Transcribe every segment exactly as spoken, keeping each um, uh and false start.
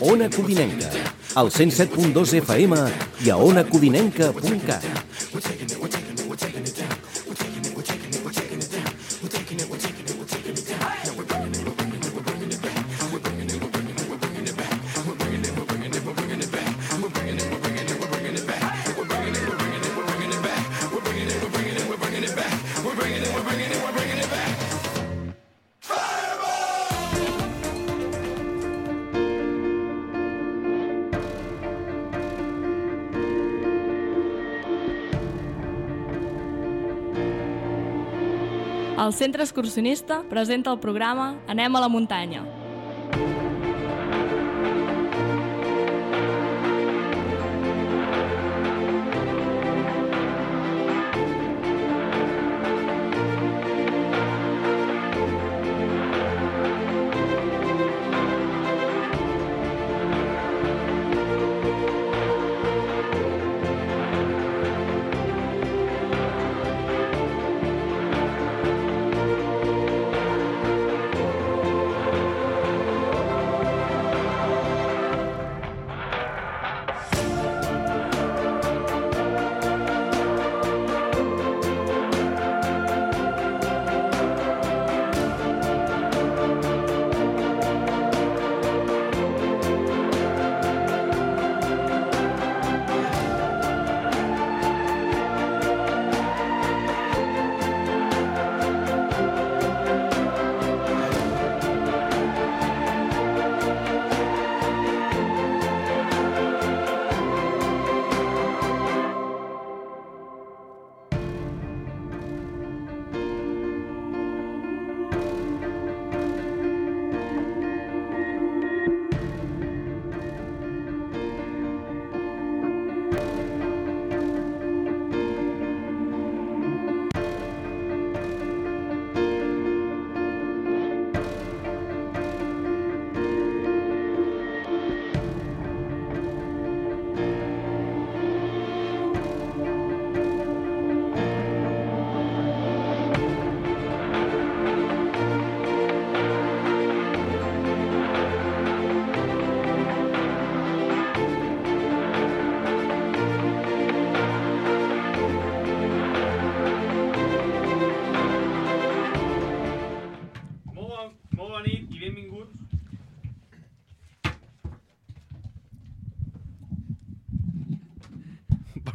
Ona Codinenca, al cent set punt dos F M i a ona codinenca punt cat. El Centre Excursionista presenta el programa Anem a la muntanya.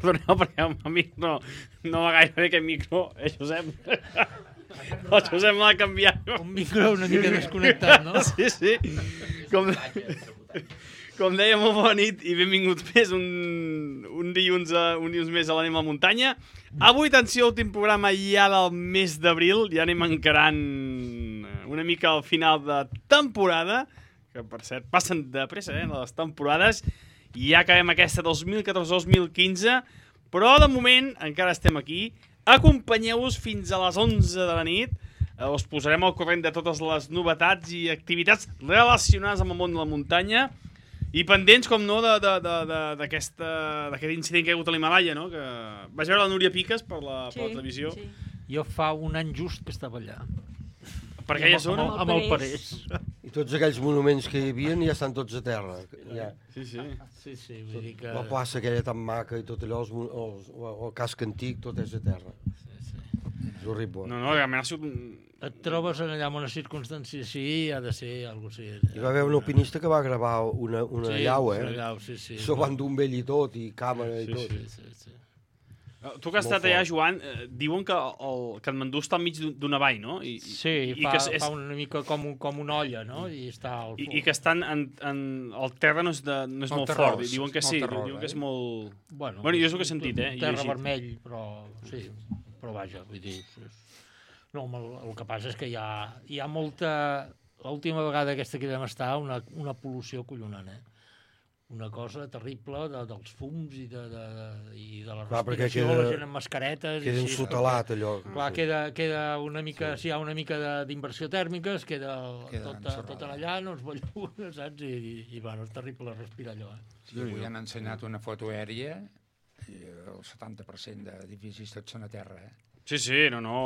Perdoneu, perquè el amic no, no va gaire bé aquest micro, eh, Josep? El Josep m'ha canviat. Un micro una mica desconnectat, no? Sí, sí. Com, com deia, molt bona nit i benvinguts més un, un, dilluns, a, un dilluns més a l'Anem a la muntanya. Avui, atenció, últim programa ja del mes d'abril, ja anem encarant una mica al final de temporada, que per cert passen de pressa, eh, les temporades, i ja acabem aquesta dos mil catorze dos mil quinze, però de moment encara estem aquí. Acompanyeu-vos fins a les onze de la nit. Us posarem al corrent de totes les novetats i activitats relacionades amb el món de la muntanya i pendents, com no, d'aquest incident que hi ha hagut a l'Himalaya, no? Que vaig veure la Núria Piques per la, sí, per la televisió. Sí. Jo fa un any just que estava allà. Per aquella zona? Amb, amb el Parés. I tots aquells monuments que hi havia ja estan tots a terra. Ja. Sí, sí. sí, sí vull dir que... La plaça aquella tan maca i tot allò, els, els, el casc antic, tot és a terra. Sí, sí. És horrible. No, no, realment ha sigut... Et trobes allà en una circumstància així, ha de ser alguna cosa així. Hi va haver un alpinista que va gravar una, una sí, llau, eh? Una llau, sí, sí. Això van d'un vell i tot, i càmera i sí, tot. Sí, sí, sí. Tu que has estat allà, Joan, eh, diuen que el Katmandú està enmig d'una vall, no? I, sí, i fa, que és, fa una mica com, com una olla, no? I, està al i, i que estan en, en... El terra no és, de, no és molt terrós, fort, diuen que sí, terrós, diuen eh? que és molt... Bueno, bueno jo és el que he sentit, eh? Terra vermell, però sí, però vaja, vull dir... No, el, el que passa és que hi ha, hi ha molta... L'última vegada aquesta que vam estar, una, una pol·lució collonant, eh? Una cosa terrible de, dels fums i de, de, de, i de la respiració, queda, la gent amb mascaretes... Queda ensotalat, allò. Clar, queda, queda una mica, sí. Si hi ha una mica d'inversió tèrmica, es queda, queda tot, tot allà, no es belluna, saps? I, i, i bueno, és terrible respirar allò, eh? Sí, avui han ensenyat una foto aèria, i el setanta per cent d'edificis tots són a terra, eh? Sí, sí, no, no.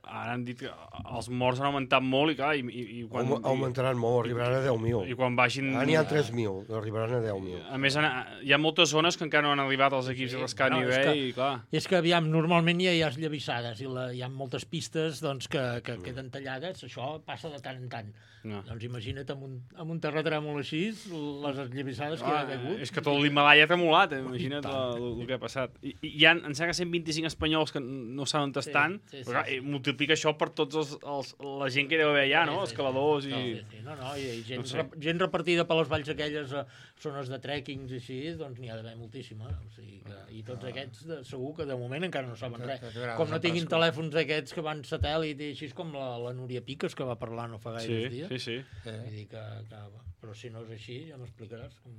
Ara han dit que els morts han augmentat molt i, clar, i, i, i quan... Augmentaran molt, arribaran a deu mil. I quan baixin... Ara n'hi ha tres mil, arribaran a deu mil. A més, hi ha moltes zones que encara no han arribat els equips sí, de rescat no, nivell, que, i clar... És que, aviam, normalment ja hi ha esllavissades i la, hi ha moltes pistes doncs, que, que queden tallades, això passa de tant en tant. No. Doncs imagina't amb un, amb un terratrèmol així, les esllavissades que ah, hi ha hagut. És que tot l'Himalaya ha tremolat, eh? Imagina't el que ha passat. I, i hi ha, em sembla que cent vint-i-cinc espanyols que no saben on sí, estan, sí, sí, però clar, sí. multiplica això per tots els, els, la gent que hi deu haver allà, no? Sí, escaladors i... No, sí, sí. no, no, i gent, no sé. rep, gent repartida per les valls aquelles, zones de trekkings i així, doncs n'hi ha d'haver moltíssima. O sigui que, I tots ah. aquests de, segur que de moment encara no saben res. Com no tinguin telèfons aquests que van satèl·lit i així com la, la Núria Piques, que va parlar no fa gaires sí, dies. Sí, sí, sí. Vull dir que, que, però si no és així, ja m'explicaràs. Com...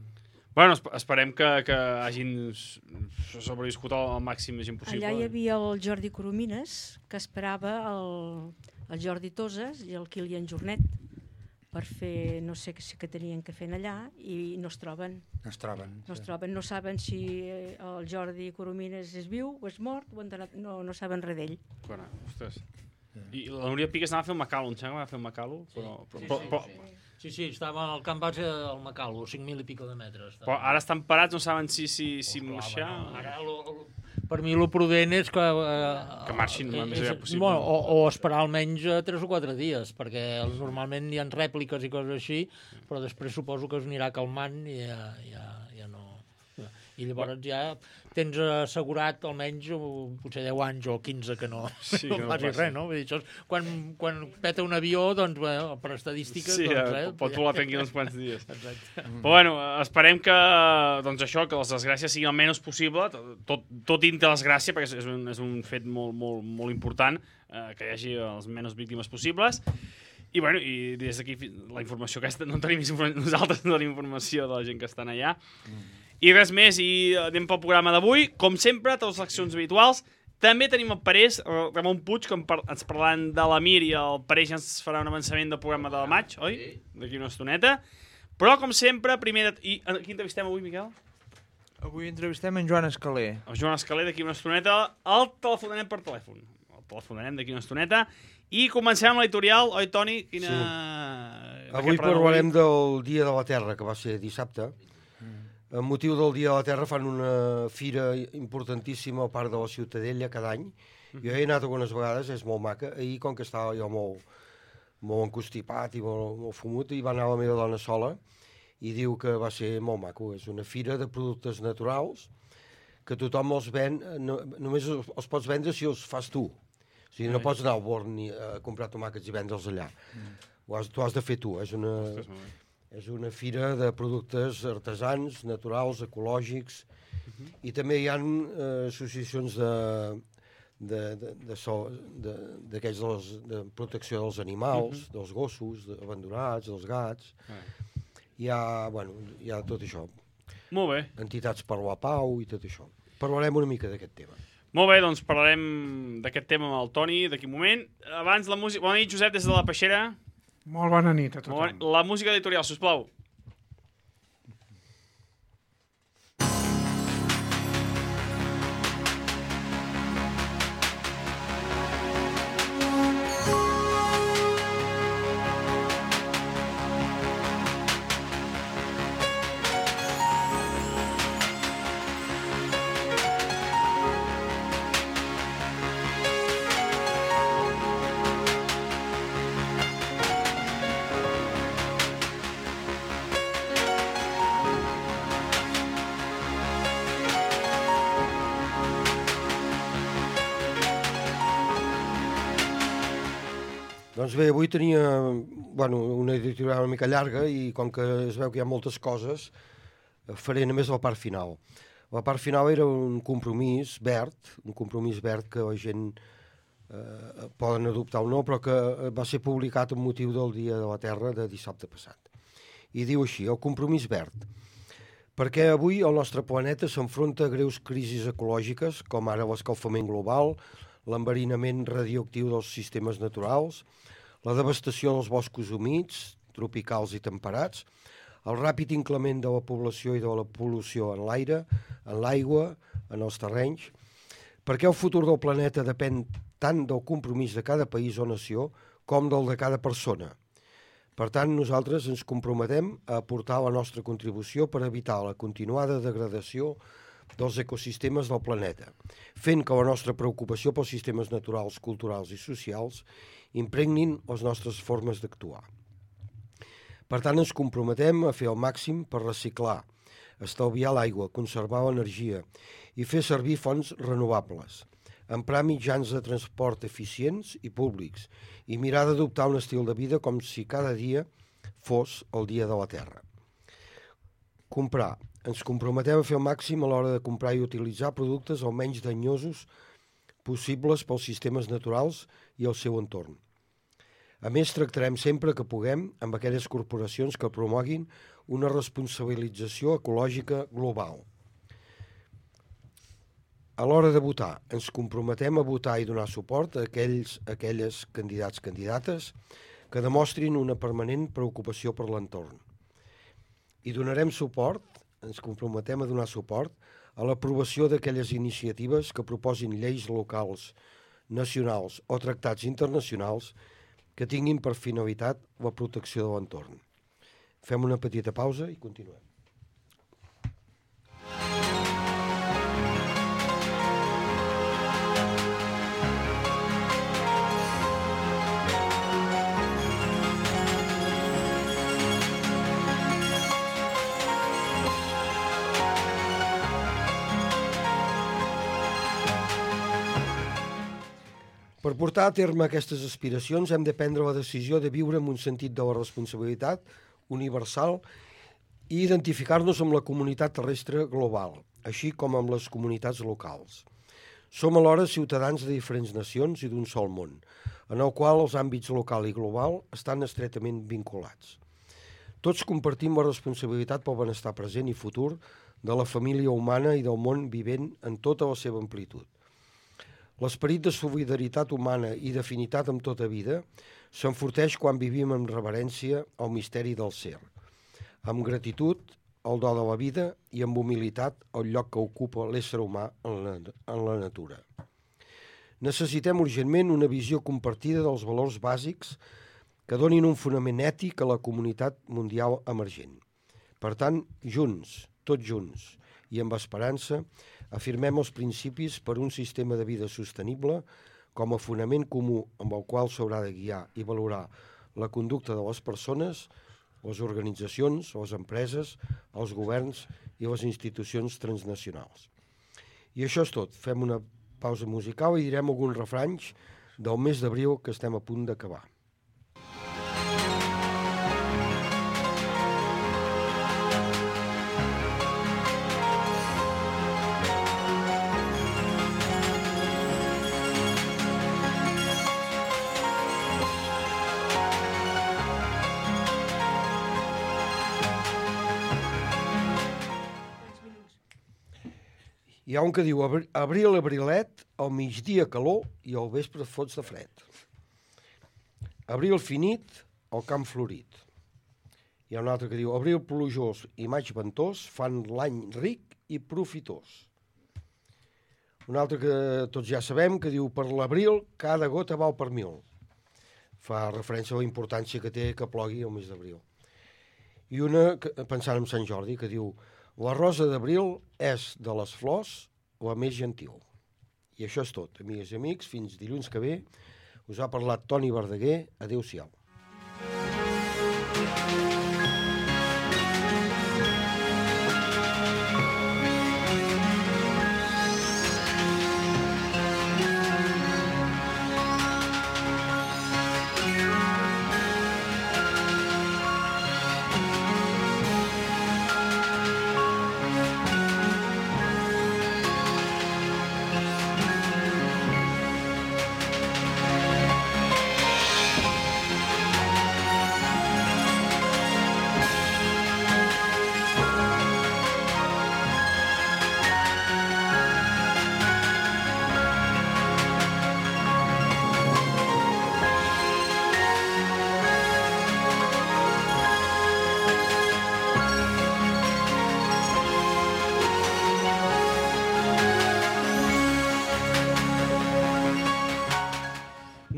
Bueno, esperem que, que hagin sobreviscut el màxim de gent possible. Allà hi havia el Jordi Coromines, que esperava el, el Jordi Toses i el Kilian Jornet per fer no sé què que tenien que fer allà i no es troben. No es troben. No es troben, no saben si el Jordi Coromines és viu o és mort, o anat, no, no saben res d'ell. Bueno, ostres. I la Núria Piques anava a fer un Macalo, em sembla que va fer un Macalo, però... Sí, però, sí, però, sí, sí. Sí, sí, estava al camp base del Macalo, cinc mil i pico de metres. Però ara estan parats, no saben si, si, si oh, marxar... No. Ara, lo, lo, per mi, el prudent és que... Eh, que marxin el més aviat possible. Bueno, o, o esperar almenys tres o quatre dies, perquè normalment hi ha rèpliques i coses així, però després suposo que es anirà calmant i ja, ja, ja no... I llavors ja tens assegurat almenys potser deu anys o quinze que no, sí, no, no facis res, no? Vull dir, això és, quan, quan peta un avió, doncs, bueno, per estadístiques... Sí, doncs, eh, pot volar tranquil uns quants dies. Exacte. Però bueno, esperem que, doncs això, que les desgràcies siguin el menys possible, tot, tot dintre de desgràcia, perquè és un, és un fet molt, molt, molt important, eh, que hi hagi les menys víctimes possibles. I, bueno, i des d'aquí la informació aquesta, no tenim nosaltres no tenim informació de la gent que estan allà. Mm. I res més, i anem pel programa d'avui. Com sempre, totes les accions habituals. També tenim el Parés, el Ramon Puig, que ens parlaran de l'Amir, i el Parés ja ens farà un avançament del programa de la maig, oi? D'aquí una estoneta. Però, com sempre, primer... De... I a qui entrevistem avui, Miquel? Avui entrevistem en Joan Escaler. El Joan Escaler, d'aquí una estoneta. El telefonarem per telèfon. El telefonarem d'aquí una estoneta. I comencem amb l'editorial, oi, Toni? Quina... Sí. Avui parlarem del Dia de la Terra, que va ser dissabte. Amb motiu del Dia de la Terra fan una fira importantíssima al Parc de la Ciutadella cada any. Jo he anat algunes vegades, és molt maca. Ahir, com que estava jo molt, molt encostipat i molt, molt fumut, i va anar la meva dona sola i diu que va ser molt maco. És una fira de productes naturals que tothom els ven, no, només els, els pots vendre si els fas tu. O sigui, no pots anar al Born a comprar tomàquets i vendre'ls allà. Ho has, tu has de fer tu. És una... És una fira de productes artesans, naturals, ecològics, uh-huh. i també hi ha eh, associacions de, de, de, de, so, de, de, de, de protecció dels animals, uh-huh. dels gossos de, abandonats, dels gats. Uh-huh. Hi ha, bueno, hi ha tot això. Molt bé. Entitats per la pau i tot això. Parlarem una mica d'aquest tema. Molt bé, doncs parlarem d'aquest tema amb el Toni d'aquí un moment. Abans la música... Bona nit, Josep, des de la Peixera. Molt bona nit a tothom. La música editorial, sisplau. Doncs bé, avui tenia bueno, una editorial una mica llarga i com que es veu que hi ha moltes coses, faré només la part final. La part final era un compromís verd, un compromís verd que la gent eh, poden adoptar o no, però que va ser publicat amb motiu del Dia de la Terra de dissabte passat. I diu així, el compromís verd. Perquè avui el nostre planeta s'enfronta a greus crisis ecològiques, com ara l'escalfament global, l'enverinament radioactiu dels sistemes naturals, la devastació dels boscos humits, tropicals i temperats, el ràpid increment de la població i de la pol·lució en l'aire, en l'aigua, en els terrenys. Perquè el futur del planeta depèn tant del compromís de cada país o nació com del de cada persona. Per tant, nosaltres ens comprometem a aportar la nostra contribució per evitar la continuada degradació dels ecosistemes del planeta, fent que la nostra preocupació pels sistemes naturals, culturals i socials impregnin les nostres formes d'actuar. Per tant, ens comprometem a fer el màxim per reciclar, estalviar l'aigua, conservar l'energia i fer servir fonts renovables, emprar mitjans de transport eficients i públics i mirar d'adoptar un estil de vida com si cada dia fos el dia de la Terra. Comprar. Ens comprometem a fer el màxim a l'hora de comprar i utilitzar productes el menys danyosos possibles pels sistemes naturals i el seu entorn. A més, tractarem sempre que puguem amb aquelles corporacions que promoguin una responsabilització ecològica global. A l'hora de votar, ens comprometem a votar i donar suport a aquells, aquelles candidats candidates que demostrin una permanent preocupació per l'entorn. I donarem suport, ens comprometem a donar suport a l'aprovació d'aquelles iniciatives que proposin lleis locals, nacionals o tractats internacionals que tinguin per finalitat la protecció de l'entorn. Fem una petita pausa i continuem. Per portar a terme aquestes aspiracions hem de prendre la decisió de viure amb un sentit de la responsabilitat universal i identificar-nos amb la comunitat terrestre global, així com amb les comunitats locals. Som alhora ciutadans de diferents nacions i d'un sol món, en el qual els àmbits local i global estan estretament vinculats. Tots compartim la responsabilitat pel benestar present i futur de la família humana i del món vivent en tota la seva amplitud. L'esperit de solidaritat humana i d'afinitat amb tota vida s'enforteix quan vivim amb reverència al misteri del ser, amb gratitud al do de la vida i amb humilitat al lloc que ocupa l'ésser humà en la, en la natura. Necessitem urgentment una visió compartida dels valors bàsics que donin un fonament ètic a la comunitat mundial emergent. Per tant, junts, tots junts, i amb esperança, afirmem els principis per un sistema de vida sostenible com a fonament comú amb el qual s'haurà de guiar i valorar la conducta de les persones, les organitzacions, les empreses, els governs i les institucions transnacionals. I això és tot. Fem una pausa musical i direm alguns refranys del mes d'abril que estem a punt d'acabar. Hi ha un que diu, abril, abrilet, al migdia calor i al vespre fots de fred. Abril finit, al camp florit. Hi ha un altre que diu, abril plujós i maig ventós fan l'any ric i profitós. Un altre que tots ja sabem, que diu, per l'abril cada gota val per mil. Fa referència a la importància que té que plogui el mes d'abril. I una, pensant en Sant Jordi, que diu, la rosa d'abril és de les flors la més gentil. I això és tot, amigues i amics. Fins dilluns que ve. Us ha parlat Toni Verdaguer. Adéu-siau.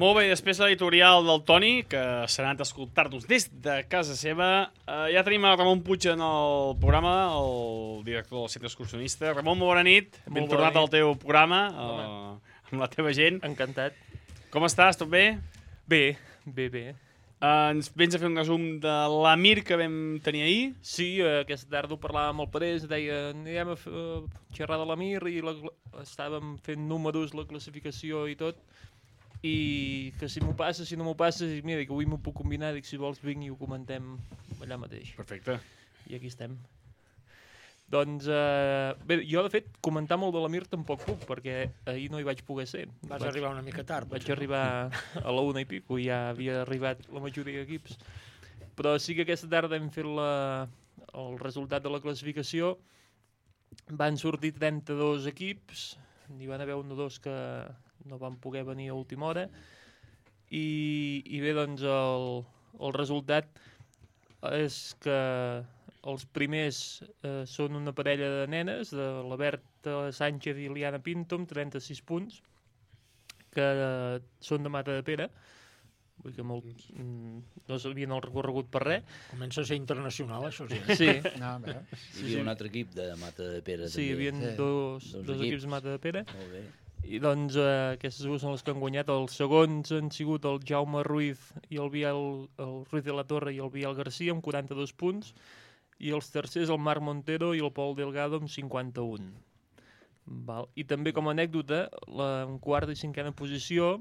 Molt bé, després de l'editorial del Toni, que s'ha anat a escoltar-nos des de casa seva, eh, ja tenim a Ramon Puig en el programa, el director del Centre Excursionista. Ramon, molt bona nit. Ben tornat al teu programa, eh, amb la teva gent. Encantat. Com estàs? Tot bé? Bé, bé, bé. Uh, ens vens a fer un resum de l'Amir que vam tenir ahir? Sí, uh, aquesta tarda ho parlàvem amb el Parés, deia, anirem a fer, uh, xerrar de l'Amir i la, estàvem fent números, la classificació i tot, i que si m'ho passa, si no m'ho passa, i mira, que avui m'ho puc combinar, dic, si vols vinc i ho comentem allà mateix. Perfecte. I aquí estem. Doncs, uh, bé, jo de fet, comentar molt de l'Amir tampoc puc, perquè ahir no hi vaig poder ser. Vas vaig, arribar una mica tard. Vaig arribar a la una i pico, i ja havia arribat la majoria d'equips. Però sí que aquesta tarda hem fet la, el resultat de la classificació. Van sortir trenta-dos equips, n'hi van haver un o dos que no van poder venir a última hora, i, i bé, doncs, el, el resultat és que els primers eh, són una parella de nenes, de la Berta Sánchez i Liana Pinto, amb trenta-sis punts, que eh, són de Mata de Pere. Vull que molt, mm, no s'havien el recorregut per res. Comença a ser internacional, això sí. Sí. No, sí, hi havia sí. un altre equip de Mata de Pere. Sí, hi havia també. dos, dos, dos equips de Mata de Pere. Molt bé. I doncs eh, aquestes dues són les que han guanyat. Els segons han sigut el Jaume Ruiz i el Biel, el Ruiz de la Torre i el Biel Garcia amb quaranta-dos punts, i els tercers el Marc Montero i el Pol Delgado amb cinquanta-un. Val. I també com a anècdota, la, en quarta i cinquena posició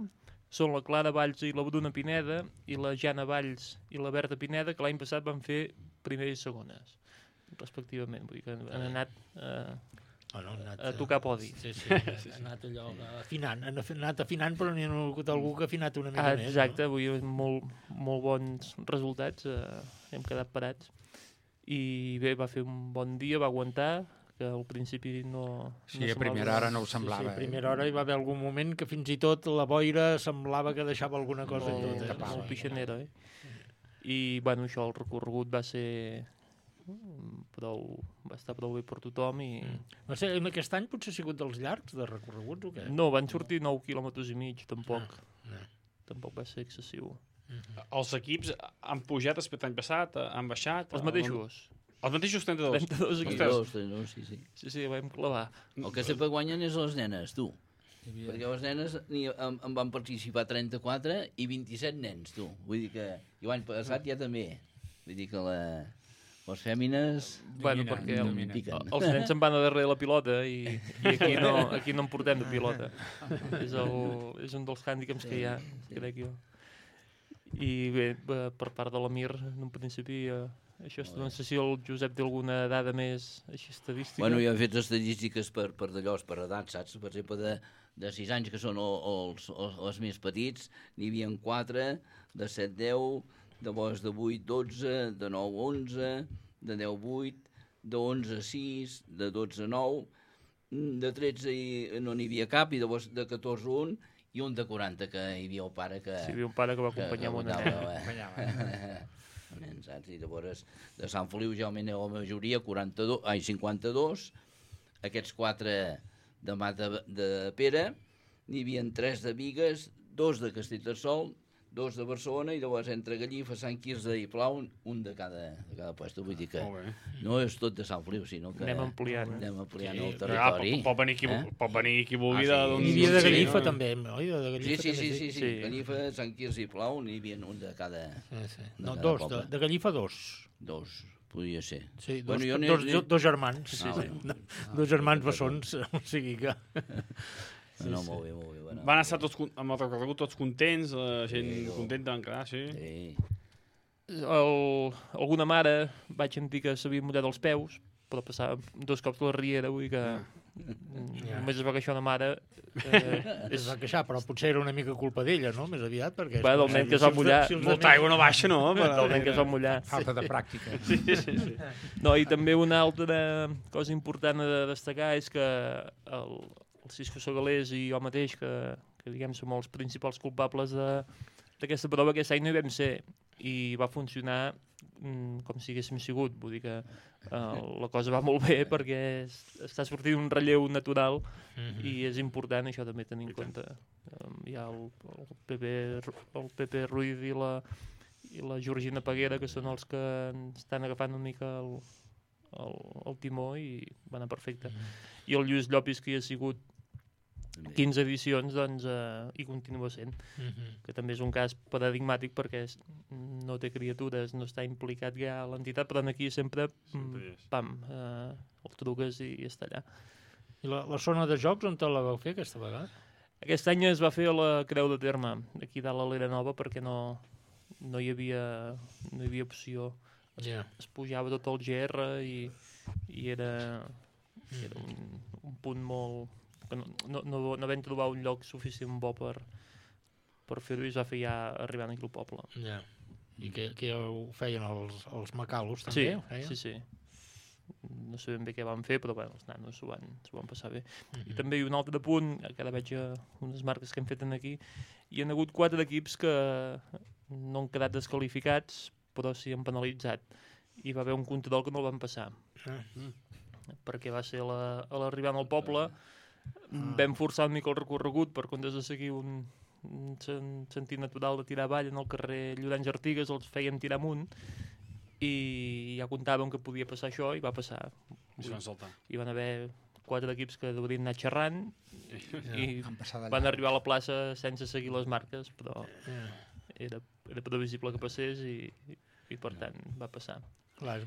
són la Clara Valls i la Bruna Pineda, i la Jana Valls i la Berta Pineda, que l'any passat van fer primeres i segones, respectivament. Vull dir que han anat... Eh, Oh, no, anat, a tocar podi. Sí, sí, ha anat allò afinant, han anat afinant, però n'hi ha hagut algú que ha afinat una mica ah, més. Exacte, no? Vull dir, molt, molt bons resultats, eh, hem quedat parats. I bé, va fer un bon dia, va aguantar, que al principi no... Sí, no a primera hora no ho semblava. Sí, sí, a primera hora hi va haver algun moment que fins i tot la boira semblava que deixava alguna cosa molt, en tot. Eh? Molt pixanera, eh? I, bueno, això, el recorregut va ser... prou, va estar prou bé per tothom i... Mm. No sé, aquest any potser ha sigut dels llargs de recorreguts o què? No, van sortir nou quilòmetres i mig, tampoc. No, no. Tampoc va ser excessiu. Mm-hmm. Els equips han pujat respecte l'any passat, han baixat? Els mateixos. Els mateixos trenta-dos? trenta-dos equips. trenta-dos, trenta-dos, sí, sí. Sí, sí, vam clavar. El que sempre guanyen és les nenes, tu. Perquè les nenes en, en van participar trenta-quatre i vint-i-set nens, tu. Vull dir que l'any passat ja també. Vull dir que la... les fèmines... Bueno, perquè el, piquen. els nens se'n van a darrere la pilota i, i aquí, no, aquí no en portem de pilota. És, el, és un dels hàndicaps que hi ha, crec jo. I bé, per part de l'Amir, en un principi, eh, això, no sé si el Josep té alguna dada més així estadística. Bueno, jo he fet estadístiques per, per d'allò, per edat, saps? Per exemple, de, de sis anys, que són els, els, els més petits, n'hi havia quatre, de set deu, de llavors de vuit dotze, de nou onze, de deu vuit, de onze sis, de dotze nou, de tretze i no n'hi havia cap, i llavors de catorze un, i un de quaranta, que hi havia el pare que... Sí, hi havia un pare que va acompanyar amb una nena. Nen, saps? I llavors de Sant Feliu ja almenys la majoria, quaranta-dos, ai, cinquanta-dos, aquests quatre de Mata de Pere, n'hi havia tres de Bigues, dos de Castellterçol, dos de Barcelona, i llavors entre Gallifa, Sant Quirze i Plau, un de cada, de cada puesto. Vull dir que no és tot de Sant Feliu, sinó que anem ampliant, anem ampliant sí, el territori. Ah, pot, pot, venir qui, eh? pot venir qui vulgui. Ah, sí. N'hi havia de Gallifa, sí, també, oi? De Gallifa, sí, sí, sí, sí, sí. sí. Gallifa, Sant Quirze i Plau, n'hi havia un de cada, sí, sí. de no, cada dos, poble. De, de Gallifa, dos. Dos, podia ser. Sí, dos, bueno, dos, dos, dos germans. Sí, ah, sí. bueno. Dos germans bessons, o sigui que... Sí, no, sí. Molt bé, molt bé. Bueno, van estar tots, amb el recorregut tots contents, la gent sí, contenta van quedar, sí. sí. El, alguna mare vaig sentir que s'havia mullat els peus, però passava dos cops la riera, vull dir que ja. Només es va queixar una mare. Eh, es va queixar, però potser era una mica culpa d'ella, no? Més aviat, perquè... Va, del nen que es va mullar. Si molta aigua no baixa, no? Però... Del nen que es va mullar. Falta de pràctica. Sí, sí, sí. No, i també una altra cosa important a destacar és que el, el Cisco Segalés i jo mateix, que, que diguem som els principals culpables d'aquesta prova, aquest any no hi vam ser, i va funcionar mm, com si haguéssim sigut. Vull dir que uh, la cosa va molt bé perquè es, està sortint un relleu natural mm-hmm. i és important això també tenir en compte. hi ha el, el, Pepe, el Pepe Ruiz i la, i la Georgina Peguera, que són els que estan agafant una mica el, el, el timó i va anar perfecte. Mm. I el Lluís Llopis, que hi ha sigut quinze edicions, doncs eh, hi continua sent. Mm-hmm. Que també és un cas paradigmàtic perquè és, no té criatures, no està implicat ja a l'entitat, però aquí sempre, sempre pam, eh, el truques i, i està allà. I la, la zona de jocs on te la vau fer aquesta vegada? Aquest any es va fer a la Creu de Terme, aquí dalt a l'Era Nova, perquè no, no, hi havia, no hi havia opció. Es, yeah. es pujava tot el G R i, i era, mm. era un, un punt molt... que no, no, no, no vam trobar un lloc suficient bo per, per fer-ho i es va fer ja arribant aquí al poble. Ja. I que, que ho feien els, els macalos, també? Sí, sí, sí. No sabem bé què van fer, però bueno, els nanos s'ho van, van passar bé. Mm-hmm. I també un altre punt, que ara veig unes marques que hem fet aquí, hi ha hagut quatre equips que no han quedat desqualificats, però sí han penalitzat. I va haver un control que no el van passar. Mm. Perquè va ser la, a l'arribant al poble, ah. vam forçar una mica el recorregut per comptes de seguir un, un sentit natural de tirar avall en el carrer Llorenç Artigas, els fèiem tirar amunt i ja comptàvem que podia passar això i va passar. I van saltar. Hi van haver quatre equips que deurien anar xerrant ja, i van, van arribar a la plaça sense seguir les marques, però ja. era, era previsible que passés i, i, i per tant va passar. Clar,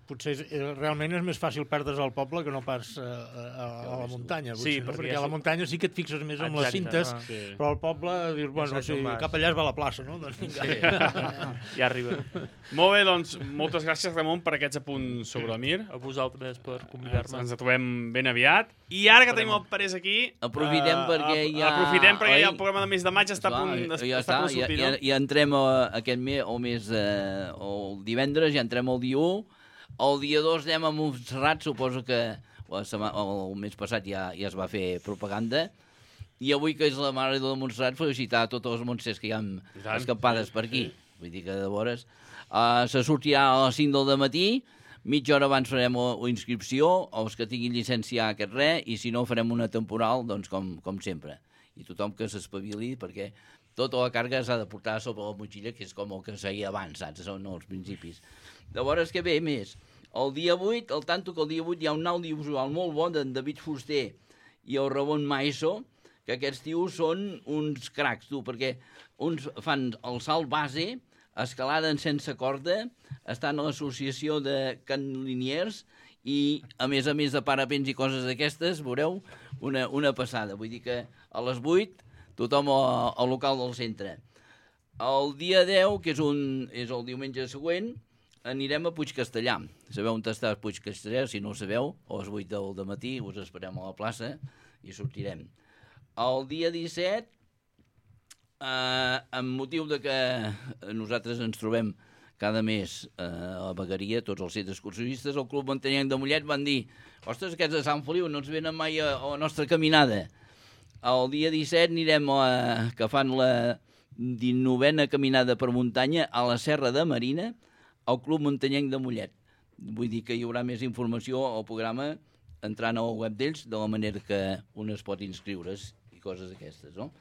potser és, realment és més fàcil perdre's al poble que no pas a, a, a la muntanya, potser, sí, no? perquè, perquè a la muntanya sí que et fixes més en les cintes, ah, sí. però al poble dius, bueno, sí, cap allà es va a la plaça, no? Doncs vinga. Sí. Ja arriba. Molt bé, doncs, moltes gràcies, Ramon, per aquests apunts sobre el Mir. A vosaltres per convidar-me. Ens trobem ben aviat. I ara que tenim el Parés aquí... Aprofitem uh, perquè ja... Aprofitem perquè oi? ja el programa de mes de maig està a punt de ja està, sortir, ja, no? Ja, ja entrem a, aquest mes, o mes, eh, el divendres, ja entrem el dia u. El dia dos anem a Montserrat, suposo que la setmana, el mes passat ja, ja es va fer propaganda. I avui, que és la Mare de Montserrat, felicitar a tots els montsers que hi ha escampades per aquí. Vull dir que de vores... Uh, se sortirà a les cinc del matí, mitja hora abans farem la inscripció, els que tinguin llicència aquest res, i si no farem una temporal, doncs com, com sempre. I tothom que s'espavili, perquè tota la càrrega s'ha de portar sobre la motxilla, que és com el que es feia abans, saps? Són els principis. Llavors, què ve més? El dia vuit, el tanto que el dia vuit hi ha un audiovisual molt bon d'en David Fuster i el Ramon Maeso, que aquests tios són uns cracs, tu, perquè uns fan el salt base, escalada en sense corda, estan a l'associació de Can Liniers i, a més a més de parapents i coses d'aquestes, veureu, una, una passada. Vull dir que a les vuit tothom al, al local del centre. El dia deu, que és, un, és el diumenge següent, anirem a Puigcastellà. Sabeu on està Puigcastellà? Si no ho sabeu, a les vuit del matí us esperem a la plaça i sortirem. El dia disset, eh, amb motiu de que nosaltres ens trobem cada mes eh, a la vegueria, tots els centres excursionistes, el Club Muntanyenc de Mollet van dir: ostres, aquests de Sant Feliu no ens venen mai a, a la nostra caminada. El dia disset anirem a, que fan la dinovena caminada per muntanya a la Serra de Marina, al Club Muntanyenc de Mollet. Vull dir que hi haurà més informació al programa entrant al web d'ells, de la manera que un es pot inscriure's i coses d'aquestes, no?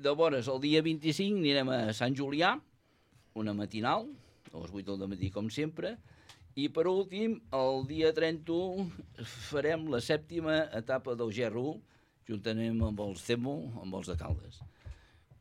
Llavors, el dia vint-i-cinc anirem a Sant Julià, una matinal, a les vuit del matí, com sempre, i per últim, el dia trenta-u, farem la sèptima etapa del G R u, juntament amb els CEMO, amb els de Caldes.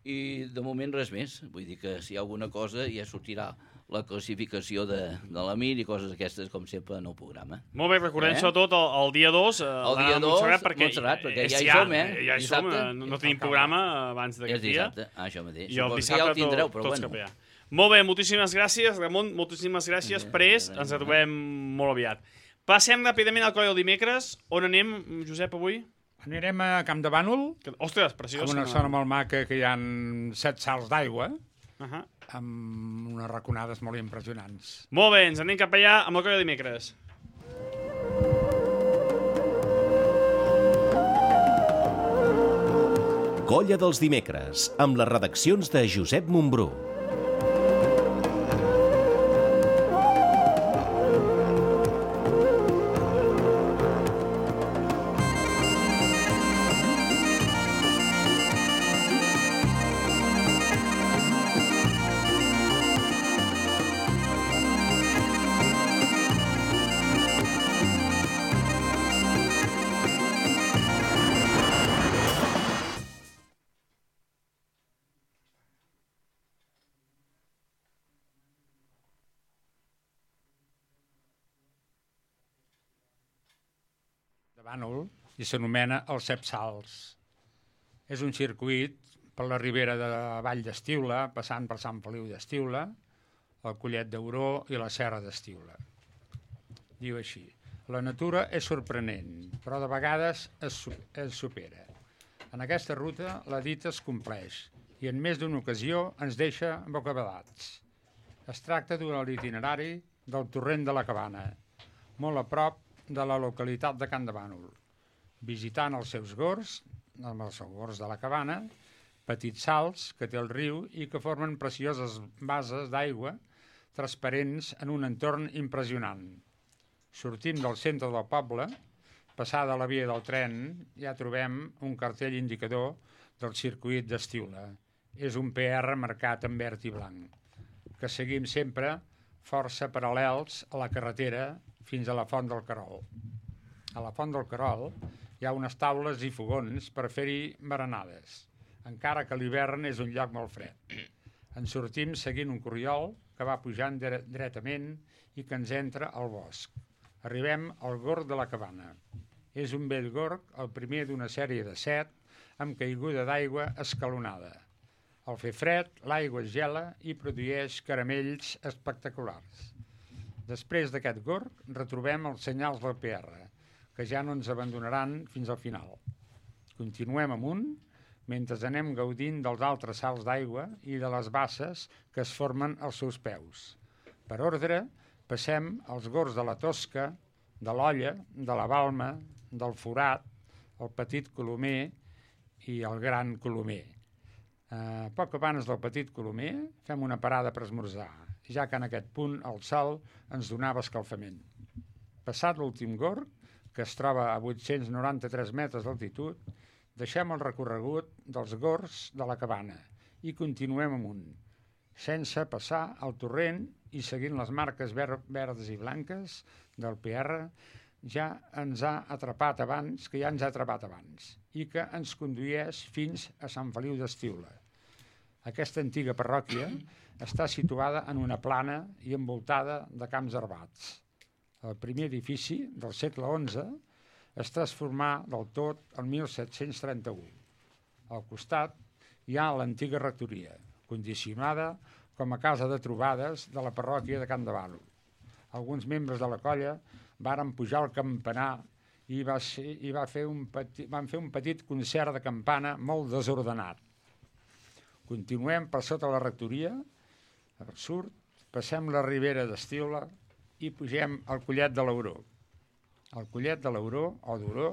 I de moment res més, vull dir que si hi ha alguna cosa ja sortirà la classificació de, de la Mir i coses aquestes, com sempre, en el programa. Molt bé, recordem eh? sobretot el, el dia dos, eh, el dia dos, Montserrat, perquè, Montserrat, perquè ja hi ja, som, eh? Ja hi som, no, no tenim programa abans d'aquest dia. És dissabte, ah, això mateix. I el dissabte ja el tindreu, tot, però tots bueno. cap allà. Molt bé, moltíssimes gràcies, Ramon, moltíssimes gràcies, Sí, Pres, sí, ens sí. trobem molt aviat. Passem ràpidament al coll del dimecres. On anem, Josep, avui? Anirem a Camp de Bànol. Ostres, preciós. Amb una que- zona molt maca que hi ha set salts d'aigua, Uh -huh. amb unes raconades molt impressionants. Molt bé, ens anem cap allà amb el coll del dimecres. Colla dels dimecres, amb les redaccions de Josep Montbrú. de Bànol i s'anomena els Set Salts. És un circuit per la ribera de la Vall d'Estiula, passant per Sant Feliu d'Estiula, el Collet d'Auró i la Serra d'Estiula. Diu així: la natura és sorprenent, però de vegades es, es supera. En aquesta ruta la dita es compleix i en més d'una ocasió ens deixa bocabadats. Es tracta d'un itinerari del torrent de la Cabana, molt a prop de la localitat de Can de Bànol, visitant els seus gors, els seus gors de la Cabana, petits salts que té el riu i que formen precioses bases d'aigua transparents en un entorn impressionant. Sortim del centre del poble, passada la via del tren, ja trobem un cartell indicador del circuit d'Estiula. És un P R marcat en verd i blanc, que seguim sempre força paral·lels a la carretera fins a la Font del Querol. A la Font del Querol hi ha unes taules i fogons per fer-hi berenades, encara que l'hivern és un lloc molt fred. Ens sortim seguint un corriol que va pujant dretament i que ens entra al bosc. Arribem al Gorg de la Cabana. És un vell gorg, el primer d'una sèrie de set, amb caiguda d'aigua escalonada. Al fer fred, l'aigua es gela i produeix caramells espectaculars. Després d'aquest gorg, retrobem els senyals del P R, que ja no ens abandonaran fins al final. Continuem amunt, mentre anem gaudint dels altres salts d'aigua i de les basses que es formen als seus peus. Per ordre, passem als gorgs de la Tosca, de l'Olla, de la Balma, del Forat, el Petit Colomer i el Gran Colomer. Uh, poc abans del Petit Colomer fem una parada per esmorzar, ja que en aquest punt el sol ens donava escalfament. Passat l'últim gorg, que es troba a vuit-cents noranta-tres metres d'altitud, deixem el recorregut dels gorgs de la Cabana i continuem amunt, sense passar al torrent i seguint les marques ver verdes i blanques del P R ja ens ha atrapat abans, que ja ens ha atrapat abans, i que ens condueix fins a Sant Feliu d'Estiula. Aquesta antiga parròquia està situada en una plana i envoltada de camps herbats. El primer edifici, del segle onze, es transformà del tot el mil set-cents trenta-u. Al costat hi ha l'antiga rectoria, condicionada com a casa de trobades de la parròquia de Can de Bànol. Alguns membres de la colla varen pujar al campanar i, va ser, i va fer un petit, van fer un petit concert de campana molt desordenat. Continuem per sota la rectoria, al sud, passem la ribera d'Estiula i pugem al Collet de l'Auró. El Collet de l'Auró, o d'Auró,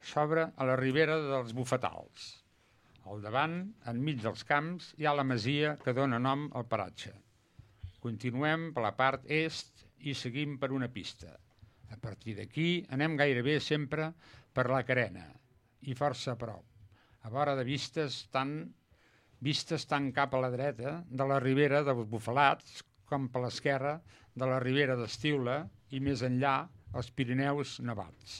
s'obre a la ribera dels Bufetals. Al davant, enmig dels camps, hi ha la masia que dona nom al paratge. Continuem per la part est i seguim per una pista. A partir d'aquí anem gairebé sempre per la carena i força a prop, a vora de vistes tant, vistes tant cap a la dreta de la ribera dels Bufalats com per l'esquerra de la ribera d'Estiula i més enllà els Pirineus nevats.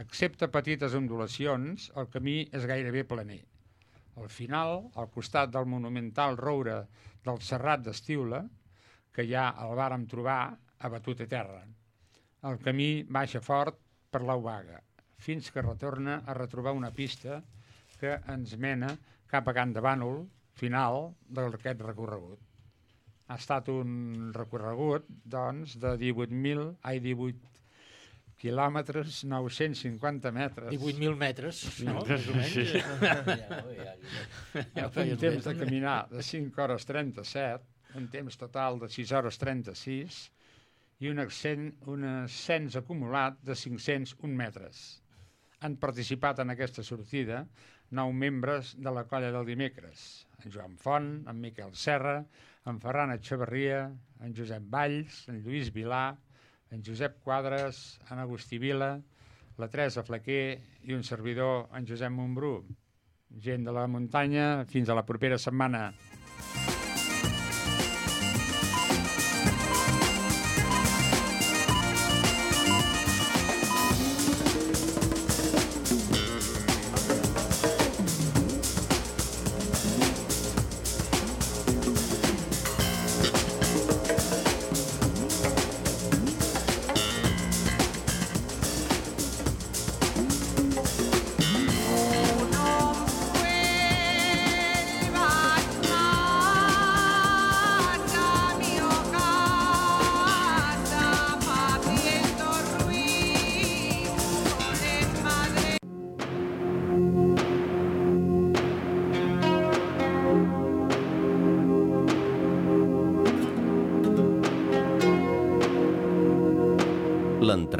Excepte petites ondulacions, el camí és gairebé planer. Al final, al costat del monumental roure del Serrat d'Estiula, que ja el vàrem trobar abatut a terra. El camí baixa fort per l'Aubaga, fins que retorna a retrobar una pista que ens mena cap a Can de Bànol, final d'aquest recorregut. Ha estat un recorregut, doncs, de divuit mil, ai, divuit quilòmetres, nou-cents cinquanta metres. divuit mil metres, no? Més o menys. Sí. Ja un temps de caminar de cinc hores trenta-set, un temps total de sis hores trenta-sis, i un ascens, un ascens acumulat de cinc-cents un metres. Han participat en aquesta sortida nou membres de la colla del dimecres, en Joan Font, en Miquel Serra, en Ferran Etxeverria, en Josep Valls, en Lluís Vilà, en Josep Quadres, en Agustí Vila, la Teresa Flaquer i un servidor, en Josep Montbrú. Gent de la muntanya, fins a la propera setmana.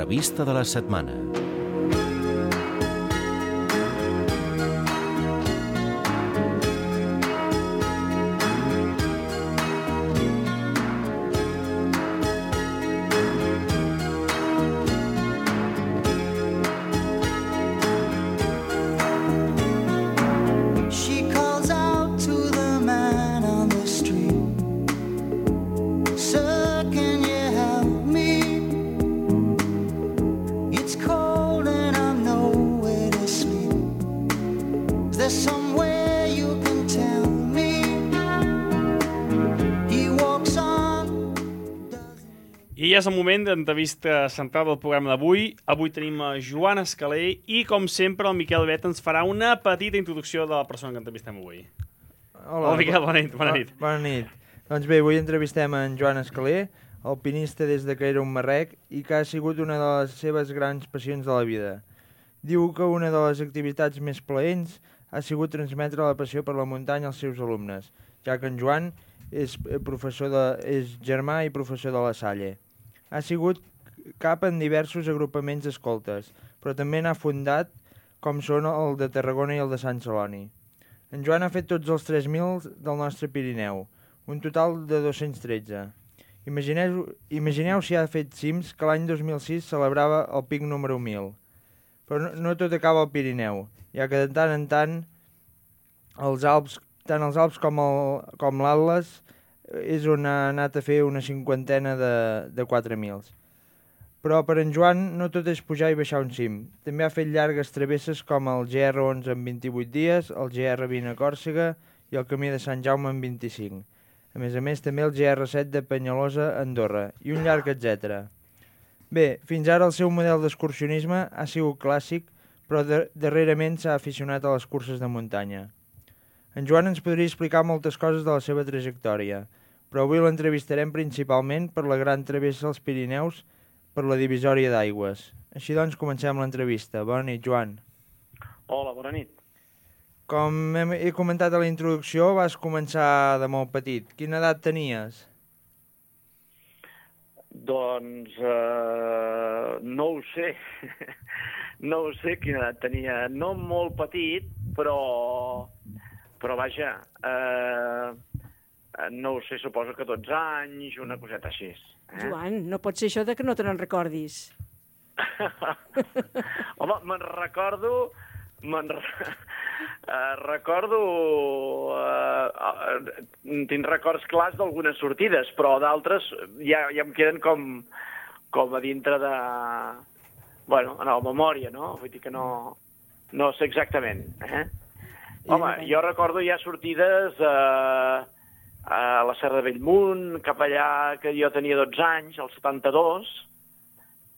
revista de la setmana. I és el moment d'entrevista central del programa d'avui. Avui tenim a Joan Escaler i, com sempre, el Miquel Bet ens farà una petita introducció de la persona que entrevistem avui. Hola, Hola Miquel, bona nit. Bona nit. Bona nit. Doncs bé, avui entrevistem en Joan Escaler, alpinista des de que era un marrec i que ha sigut una de les seves grans passions de la vida. Diu que una de les activitats més plaents ha sigut transmetre la passió per la muntanya als seus alumnes, ja que en Joan és, professor de, és germà i professor de la Salle. Ha sigut cap en diversos agrupaments escoltes, però també n'ha fundat, com són el de Tarragona i el de Sant Celoni. En Joan ha fet tots els tres mil del nostre Pirineu, un total de dos-cents tretze. Imagineu, imagineu si ha fet cims que l'any dos mil sis celebrava el pic número mil. Però no, no tot acaba al Pirineu, ja que de tant en tant els Alps, tant els Alps com el, com l'Atles és on ha anat a fer una cinquantena de, de quatre mils. Però per en Joan no tot és pujar i baixar un cim. També ha fet llargues travesses com el G R onze en vint-i-vuit dies, el G R vint a Còrsega i el Camí de Sant Jaume en vint-i-cinc. A més a més, també el G R set de Penyalosa a Andorra i un llarg etcètera. Bé, fins ara el seu model d'excursionisme ha sigut clàssic, però de, darrerament s'ha aficionat a les curses de muntanya. En Joan ens podria explicar moltes coses de la seva trajectòria, però avui l'entrevistarem principalment per la gran travessa als Pirineus per la divisòria d'aigües. Així doncs, comencem l'entrevista. Bona nit, Joan. Hola, bona nit. Com hem, he comentat a la introducció, vas començar de molt petit. Quina edat tenies? Doncs eh, no ho sé. No ho sé quina edat tenia. No molt petit, però, però vaja... Eh, no ho sé, suposo que dotze anys, una coseta així. Eh? Joan, no pot ser això de que no te n'en recordis. Home, me'n recordo... Me'n re... uh, recordo... Uh, uh, tinc records clars d'algunes sortides, però d'altres ja, ja em queden com, com a dintre de... Bueno, en la memòria, no? Vull dir que no, no sé exactament. Eh? Home, jo recordo ja sortides... Uh, a la Serra de Bellmunt, cap allà que jo tenia dotze anys, al setanta-dos,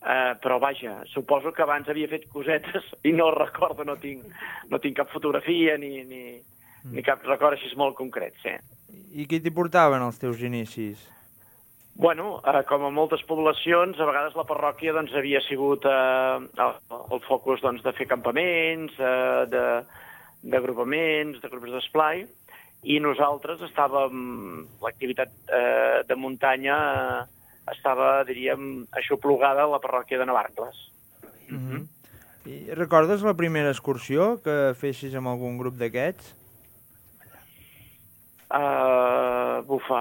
eh, però vaja, suposo que abans havia fet cosetes i no recordo, no tinc, no tinc cap fotografia ni, ni, mm. ni cap record així molt concret, sí. I qui t'hi portaven els teus inicis? Bueno, eh, com a moltes poblacions, a vegades la parròquia doncs, havia sigut eh, el, el focus doncs, de fer campaments, eh, d'agrupaments, de, de grups d'esplai, i nosaltres estàvem, l'activitat eh, de muntanya eh, estava, diríem, aixoplugada a la parròquia de Navarcles. Mm-hmm. I recordes la primera excursió que fessis amb algun grup d'aquests? Uh, bufa.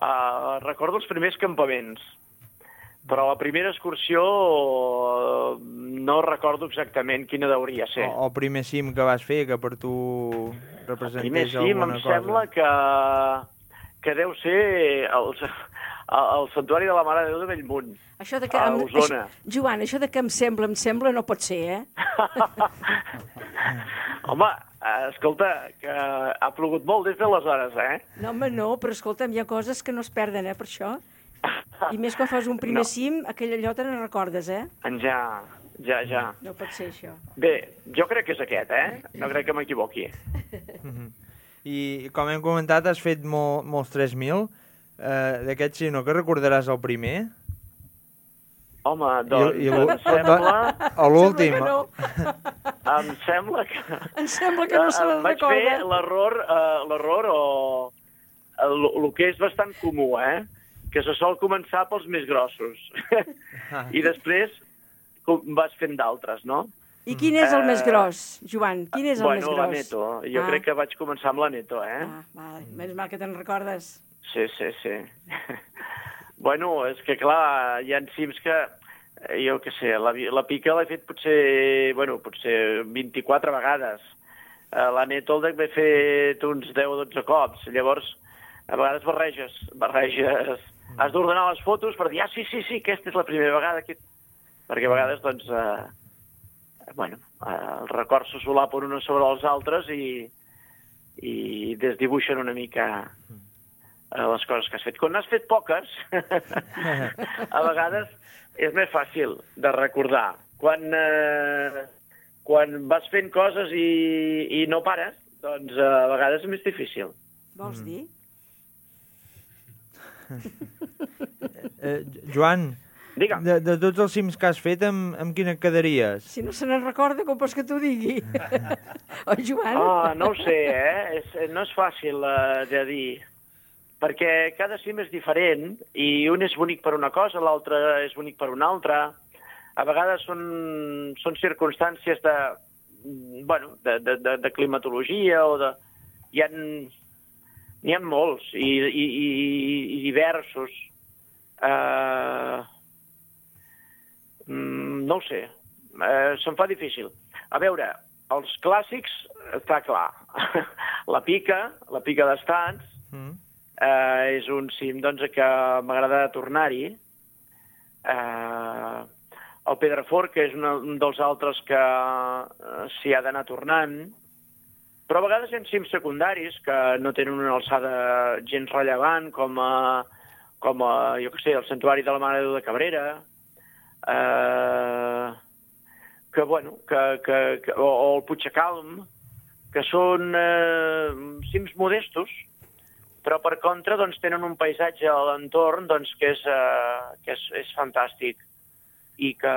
uh, recordo els primers campaments, però la primera excursió uh, no recordo exactament quina hauria ser. O el primer cim que vas fer, que per tu representés alguna cosa. El primer cim em sembla que, que deu ser el, el Santuari de la Mare de Déu de Bellmunt, això de que a em, Osona. Això, Joan, això de que em sembla, em sembla, no pot ser, eh? Home, escolta, que ha plogut molt des d'aleshores, eh? No, home, no, però escolta'm, hi ha coses que no es perden, eh, per això. I més quan fas un primer no. cim, aquella allò te ne recordes, eh? Ja, ja, ja. No pot ser això. Bé, jo crec que és aquest, eh? No crec que m'equivoqui. I com hem comentat, has fet molt, molts tres mil. Uh, D'aquests, sí, no? Que recordaràs el primer? Home, doncs, I, i em sembla... A l'últim. No. Em sembla que... Em sembla que no se la vaig recorda. Vaig fer l'error, uh, l'error o... El, el que és bastant comú, eh? que se sol començar pels més grossos. I després vas fent d'altres, no? I quin és el més gros, Joan? Quin és el bueno, més gros? Bueno, la Neto. Jo ah. crec que vaig començar amb la Neto, eh? Ah, vale. Menys mal que te'n recordes. Sí, sí, sí. Bueno, és que clar, hi ha cims que, jo què sé, la, la pica l'he fet potser, bueno, potser vint-i-quatre vegades. La Neto el d'haver fet uns deu o dotze cops. Llavors, a vegades barreges, barreges... Has d'ordenar les fotos per dir, ah, sí, sí, sí, aquesta és la primera vegada. Que... Perquè a vegades, doncs, eh, bueno, eh, els records se solapen uns sobre els altres i, i desdibuixen una mica eh, les coses que has fet. Quan n'has fet poques, a vegades és més fàcil de recordar. Quan, eh, quan vas fent coses i, i no pares, doncs eh, a vegades és més difícil. Vols dir? eh, Joan, Digue'm. De, de tots els cims que has fet, amb, amb quina et quedaries? Si no se n'en recorda, com vols que t'ho digui? Oi, Joan? Oh, no ho sé, eh? És, no és fàcil uh, de dir, perquè cada cim és diferent i un és bonic per una cosa, l'altre és bonic per una altra. A vegades són, són circumstàncies de, bueno, de, de, de, de climatologia o de... Hi ha, n'hi ha molts i, i, i, i diversos. Uh, no ho sé, uh, se'm fa difícil. A veure, els clàssics, està clar. La pica, la pica d'Estats, mm. uh, és un cim doncs, que m'agrada tornar-hi. Uh, el Pedrafort, que és una, un dels altres que uh, s'hi ha d'anar tornant. Però a vegades hi ha cims secundaris que no tenen una alçada gens rellevant, com, a, com a, jo què sé, el Santuari de la Mare de Déu de Cabrera, eh, que, bueno, que, que, que, o, o el Puigcalm, que són eh, cims modestos, però per contra doncs, tenen un paisatge a l'entorn doncs, que, és, eh, que és, és fantàstic i que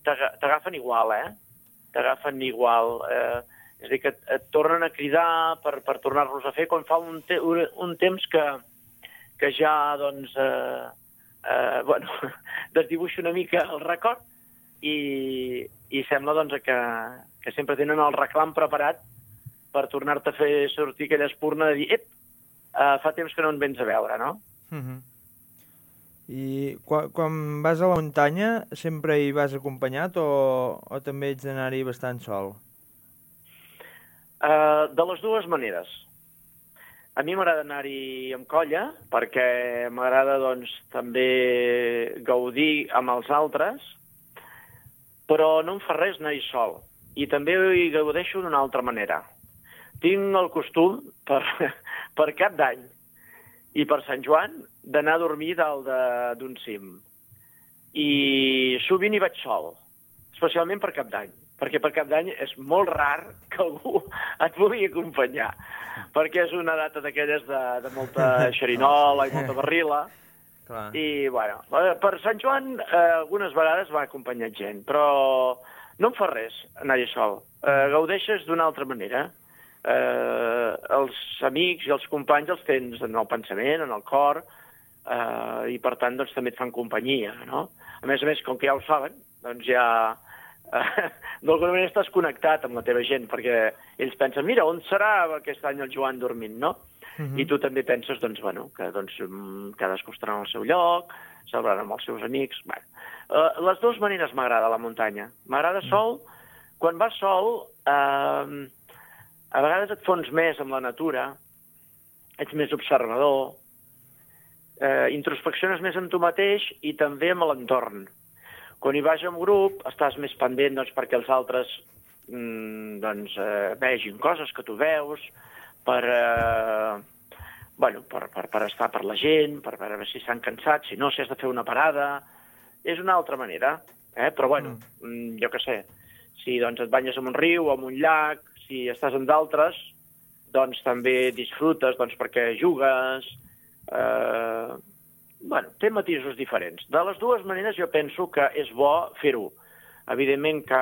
t'agafen igual, eh? T'agafen igual. Eh, És a dir, que et, et tornen a cridar per, per tornar-los a fer quan fa un, te, un, un temps que, que ja, doncs, eh, eh, bueno, desdibuixa una mica el record i, i sembla, doncs, que, que sempre tenen el reclam preparat per tornar-te a fer sortir aquella espurna de dir, ep, eh, fa temps que no en vens a veure, no? Uh-huh. I quan, quan vas a la muntanya sempre hi vas acompanyat o, o també ets d'anar-hi bastant sol? Uh, de les dues maneres. A mi m'agrada anar-hi amb colla, perquè m'agrada doncs, també gaudir amb els altres, però no em fa res anar-hi sol. I també hi gaudeixo d'una altra manera. Tinc el costum, per, per Cap d'Any i per Sant Joan, d'anar a dormir dalt d'un cim. I sovint hi vaig sol, especialment per Cap d'Any. Perquè per Cap d'Any és molt rar que algú et vulgui acompanyar, perquè és una data d'aquelles de, de molta xerinola i molta barrila. Clar. I, bueno, per Sant Joan eh, algunes vegades va acompanyar gent, però no em fa res anar-hi sol. Eh, gaudeixes d'una altra manera. Eh, els amics i els companys els tens en el pensament, en el cor, eh, i per tant doncs, també et fan companyia, no? A més a més, com que ja ho saben, doncs ja... d'alguna manera estàs connectat amb la teva gent, perquè ells pensen, mira, on serà aquest any el Joan dormint, no? Uh-huh. I tu també penses, doncs, bueno, que doncs, cadascú estarà en el seu lloc, celebrant amb els seus amics... Bueno, uh, les dues maneres m'agrada la muntanya. M'agrada sol, quan vas sol, uh, a vegades et fons més amb la natura, ets més observador, uh, introspecciones més en tu mateix i també amb l'entorn. Quan hi vas en grup, estàs més pendent doncs, perquè els altres mm, doncs, eh, vegin coses que tu veus, per, eh, bueno, per, per, per estar per la gent, per veure si estan cansats, si no, si has de fer una parada. És una altra manera, eh? Però bueno, mm. jo què sé, si doncs, et banyes en un riu o en un llac, si estàs en d'altres, doncs també disfrutes doncs, perquè jugues... Eh, Bueno, té matisos diferents. De les dues maneres jo penso que és bo fer-ho. Evidentment que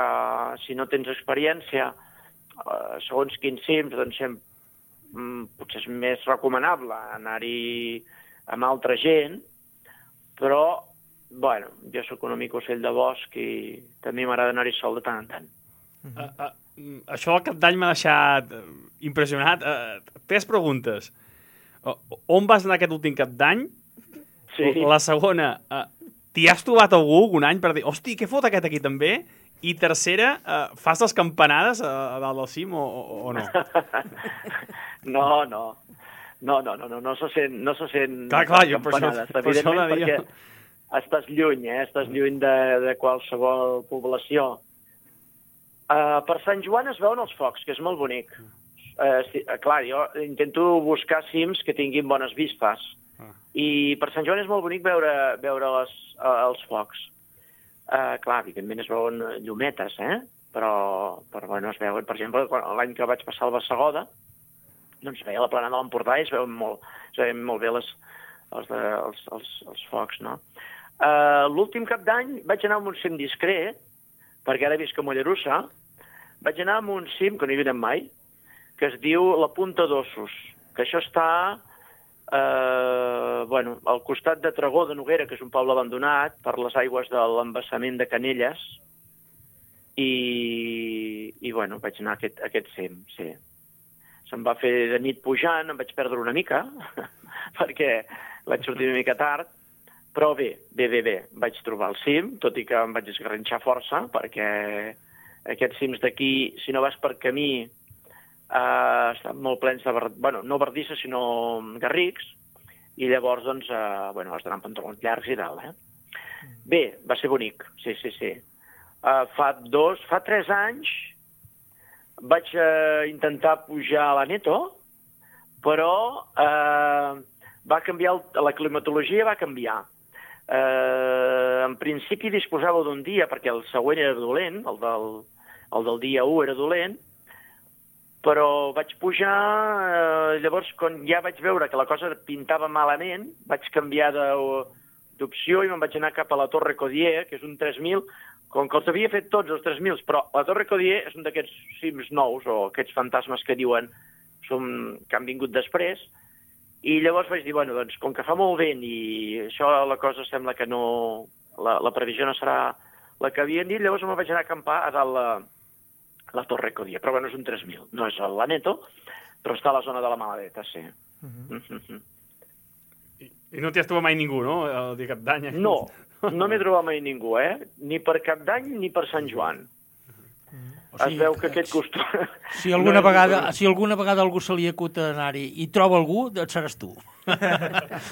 si no tens experiència, eh, segons quins cims, doncs mm, potser és més recomanable anar-hi amb altra gent, però, bueno, jo sóc una mica ocell de bosc i també m'agrada anar-hi sol de tant en tant. Uh, uh, això del cap d'any m'ha deixat uh, impressionat. Uh, tres preguntes. Uh, on vas anar aquest últim cap d'any? Sí. La segona, uh, t'hi has trobat algú algun any per dir, hosti, què fot aquest aquí també? I tercera, uh, fas les campanades a, a dalt del cim o, o, o no? No, no. No, no, no, no, no se sent, no se sent clar, clar, jo per això, per per això perquè estàs lluny, eh? Estàs lluny de, de qualsevol població. Uh, per Sant Joan es veuen els focs, que és molt bonic. Uh, sí, uh, clar, jo intento buscar cims que tinguin bones vistes. Ah. I per Sant Joan és molt bonic veure, veure les, uh, els focs. Uh, clar, evidentment es veuen llumetes, eh? Però, però bueno, es veuen, per exemple, l'any que vaig passar al Bassegoda, doncs veia la plana de l'Empordà i es veuen molt, es veuen molt bé les, els, de, els, els, els focs, no? Uh, L'últim cap d'any vaig anar a un cim discret, perquè ara visc a Mollerussa, vaig anar a un cim, que no hi havia mai, que es diu la Punta d'Ossos, que això està uh, bueno, al costat de Tregó de Noguera, que és un poble abandonat, per les aigües de l'embassament de Canelles, i, i bueno, vaig anar a aquest, a aquest cim, sí. Se'm va fer de nit pujant, em vaig perdre una mica, perquè vaig sortir una mica tard, però bé, bé, bé, bé, vaig trobar el cim, tot i que em vaig esgarrinxar força, perquè aquests cims d'aquí, si no vas per camí, eh, estan molt plens de, bueno, no bardisses, sinó garrics, i llavors, doncs, eh, bueno, has d'anar amb pantalons llargs i tal, eh? Bé, va ser bonic, sí, sí, sí. Eh, fa dos, fa tres anys, vaig eh, intentar pujar a la Neto, però eh, va canviar, el, la climatologia va canviar. Eh, en principi disposava d'un dia, perquè el següent era dolent, el del, el del dia u era dolent, però vaig pujar, eh, llavors quan ja vaig veure que la cosa pintava malament, vaig canviar d'opció i me'n vaig anar cap a la Torre Codier, que és un tres mil, com que els havia fet tots els tres mil, però la Torre Codier és un d'aquests cims nous, o aquests fantasmes que diuen som, que han vingut després, i llavors vaig dir, bueno, doncs, com que fa molt vent i això la cosa sembla que no... La, la previsió no serà la que havien dit, llavors me'n vaig anar a acampar a dalt la, la Torre Codier, però bueno, és un tres mil, no és la Neto, però està a la zona de la Maladeta, sí. Uh-huh. Uh-huh. I, I no t'hi has trobat mai ningú, no?, el dia cap d'any? No. No m'he trobat mai ningú, eh? Ni per Cap d'Any ni per Sant Joan. O sigui, es veu que aquest costum... Si alguna, no vegada, si alguna vegada algú se li acut anar-hi i troba algú, doncs seràs tu.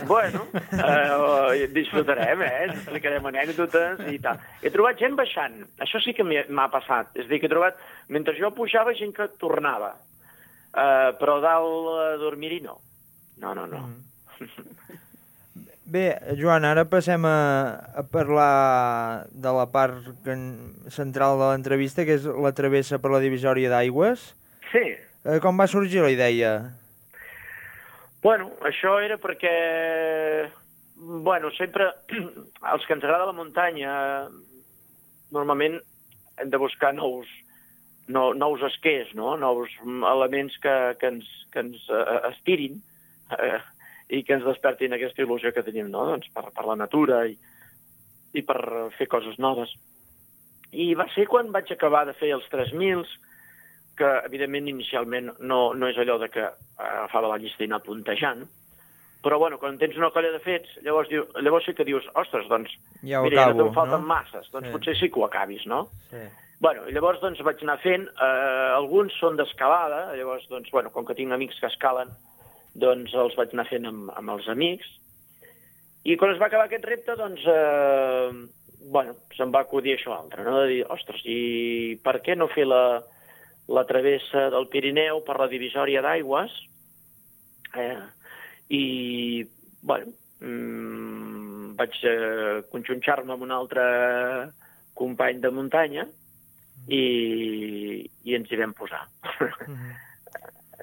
Bueno, eh, disfrutarem, eh? Explicarem anècdotes i tal. He trobat gent baixant. Això sí que m'ha passat. És a dir, que he trobat... Mentre jo pujava, gent que tornava. Eh, però dalt a dormir-hi no. No, no, no. Mm. Bé, Joan, ara passem a, a parlar de la part que, central de l'entrevista, que és la travessa per la divisòria d'aigües. Sí. Eh, com va sorgir la idea? Bueno, això era perquè... Bueno, sempre... Els que ens agrada la muntanya, normalment hem de buscar nous, no, nous esquers, no? Nous elements que, que ens, que ens uh, estirin, uh, i que ens despertin aquesta il·lusió que tenim, no? Doncs per, per la natura i, i per fer coses noves. I va ser quan vaig acabar de fer els tres mil, que evidentment inicialment no, no és allò de que agafava la llista i anar puntejant, però bueno, quan tens una colla de fets, llavors, diu, llavors sí que dius, ostres, doncs, ja mira, acabo, ja no te'n falten no? masses, doncs sí. Potser sí que ho acabis, no? Sí. Bueno, i llavors doncs vaig anar fent, eh, alguns són d'escalada, llavors, doncs, bueno, com que tinc amics que escalen, doncs els vaig anar fent amb, amb els amics. I quan es va acabar aquest repte, doncs, eh, bueno, se'm va acudir això altre, no? De dir, ostres, i per què no fer la, la travessa del Pirineu per la divisòria d'aigües? Eh, I, bueno, mmm, vaig eh, conxunxar-me amb un altre company de muntanya i, i ens hi vam posar. Mm-hmm.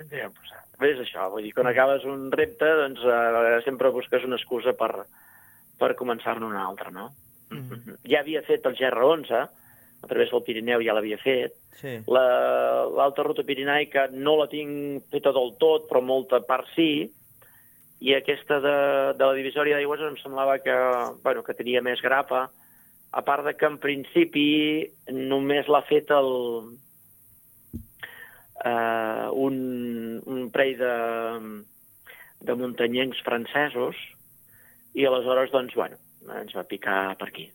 Ens hi vam posar. Bé, és això, vull dir, quan acabes un repte, doncs eh, sempre busques una excusa per, per començar-ne una altra, no? Mm. Ja havia fet el G R onze, a través del Pirineu ja l'havia fet. Sí. L'alta ruta pirinaica no la tinc feta del tot, però molta part sí. i aquesta de, de la divisòria d'aigües em semblava que, bueno, que tenia més grapa, a part de que en principi només l'ha fet el, eh, un, un parell de, de muntanyencs francesos i aleshores, doncs, bueno, ens va picar per aquí.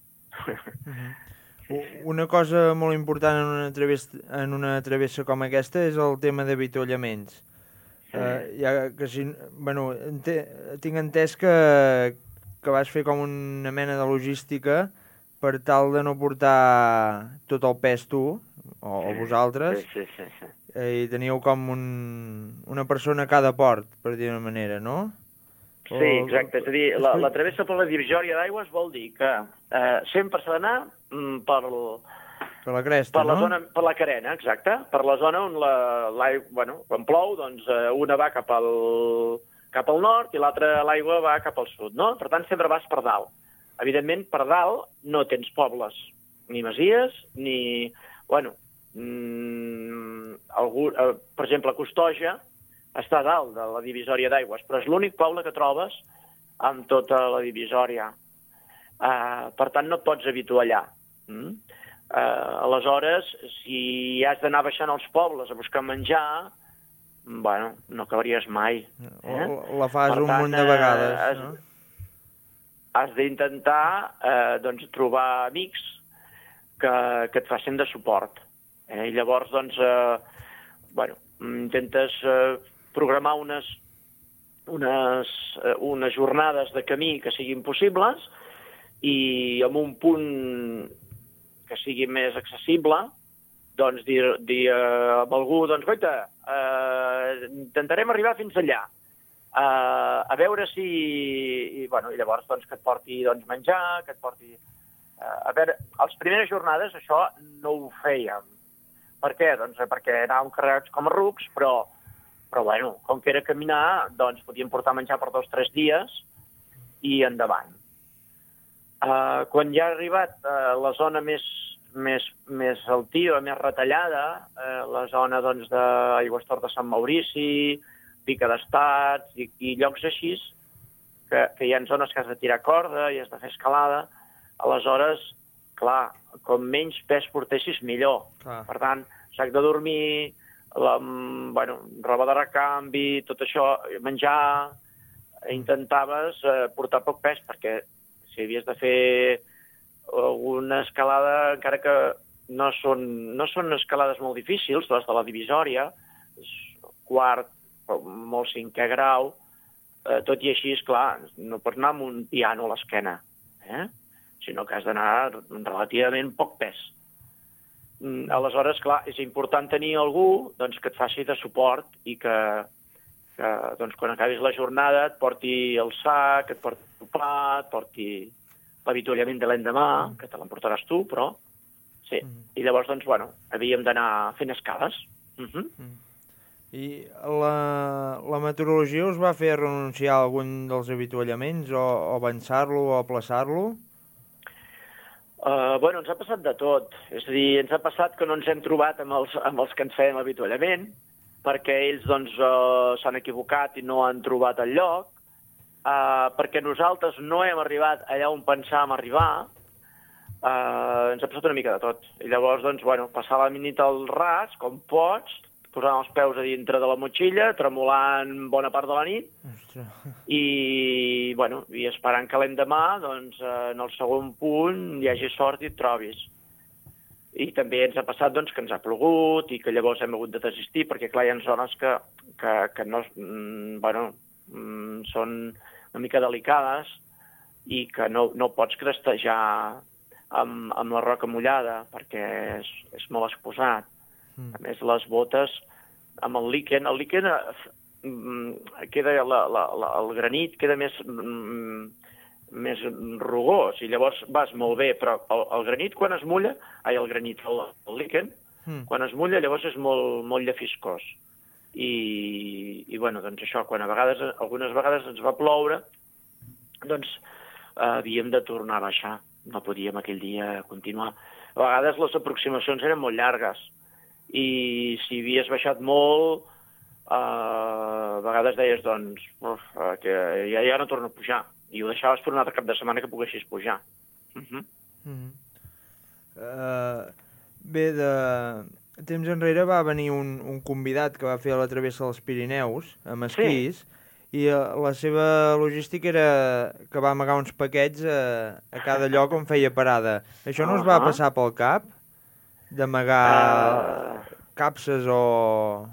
Una cosa molt important en una travessa, en una travessa com aquesta és el tema d'avituallaments. Uh, ja que si, bueno, ente, tinc entès que, que vas fer com una mena de logística per tal de no portar tot el pes tu, o, o vosaltres, sí, sí, sí, sí. Eh, i teníeu com un, una persona a cada port, per dir una manera, no? Sí, exacte. És a dir, la, la travessa per la divisòria d'aigües vol dir que eh, sempre s'ha d'anar mm, per, per la cresta, per la no? Zona, per la carena, exacte. Per la zona on la, l'aigua, bueno, quan plou, doncs eh, una va cap al, cap al nord i l'altra, l'aigua, va cap al sud, no? Per tant, sempre vas per dalt. Evidentment, per dalt no tens pobles, ni masies, ni... Bueno, mm, algú, eh, per exemple, Costoja està dalt de la divisòria d'aigües, però és l'únic poble que trobes amb tota la divisòria. Uh, per tant, no et pots habituar allà. Mm? Uh, aleshores, si has d'anar baixant als pobles a buscar menjar, bueno, no acabaries mai. Eh? La fas per un tant, munt de vegades, has, no? Has d'intentar eh, doncs, trobar amics que, que et facin de suport. Eh? I llavors, doncs, eh, bueno, intentes eh, programar unes, unes, eh, unes jornades de camí que siguin possibles i amb un punt que sigui més accessible, doncs dir, dir eh, amb algú, doncs, goita, eh, intentarem arribar fins allà. Uh, a veure si... I, bueno, i llavors doncs, que et porti doncs, menjar, que et porti... Uh, a veure, a les primeres jornades això no ho fèiem. Per què? Doncs perquè anàvem carregats com a rucs, però, però bueno, com que era caminar, doncs podíem portar menjar per dos o tres dies i endavant. Uh, quan ja ha arribat uh, la zona més, més, més altiva, més retallada, uh, la zona doncs, d'Aigüestorf de Sant Maurici, Pica d'Estats i, i llocs així, que, que hi ha zones que has de tirar corda i has de fer escalada, aleshores, clar, com menys pes portessis, millor. Clar. Per tant, sac de dormir, la, bueno, roba de recanvi, tot això, menjar, intentaves eh, portar poc pes, perquè si havies de fer alguna escalada, encara que no són, no són escalades molt difícils, les de la divisòria, quart, molt cinquè grau, eh, tot i així, esclar, no pots anar amb un piano a l'esquena, eh? Sinó que has d'anar relativament poc pes. Mm, aleshores, clar, és important tenir algú doncs, que et faci de suport i que, que doncs, quan acabis la jornada et porti el sac, et porti el plat, et porti l'avituallament de l'endemà, que te l'emportaràs tu, però sí. I llavors, doncs, bueno, havíem d'anar fent escales. Uh-huh. Mm. I la, la meteorologia us va fer renunciar a algun dels avituallaments o, o avançar-lo o aplaçar-lo? Uh, bueno, ens ha passat de tot. És a dir, ens ha passat que no ens hem trobat amb els, amb els que ens feien l'avituallament, perquè ells doncs, uh, s'han equivocat i no han trobat el lloc, uh, perquè nosaltres no hem arribat allà on pensàvem arribar. Uh, ens ha passat una mica de tot. I llavors, doncs, bueno, passar la nit al ras, com pots, posant els peus a dintre de la motxilla, tremolant bona part de la nit, Ostres. i, bueno, i esperant que l'endemà, doncs, en el segon punt, hi hagi sort i et trobis. I també ens ha passat doncs, que ens ha plogut i que llavors hem hagut de desistir, perquè clar, hi ha zones que, que, que no, mm, bueno, mm, són una mica delicades i que no, no pots crestejar amb, amb la roca mullada, perquè és, és molt exposat. A més, les botes amb el líquen, el líquen eh, queda, la, la, la, el granit queda més, mm, més rugós i llavors vas molt bé, però el, el granit quan es mulla, ai, el granit, el, el líquen, mm. quan es mulla llavors és molt, molt llefiscós. I, i bueno, doncs això, quan a vegades, algunes vegades ens va ploure, doncs eh, havíem de tornar a baixar, no podíem aquell dia continuar. A vegades les aproximacions eren molt llargues, i si havies baixat molt, a vegades deies, doncs, uf, que ja, ja no torno a pujar. I ho deixaves per un altre cap de setmana que poguessis pujar. Uh -huh. Uh -huh. uh, bé, de temps enrere va venir un, un convidat que va fer la travessa dels Pirineus, amb esquís, sí. I la seva logística era que va amagar uns paquets a, a cada lloc on feia parada. Això no us va passar pel cap? D'amagar uh... capses o,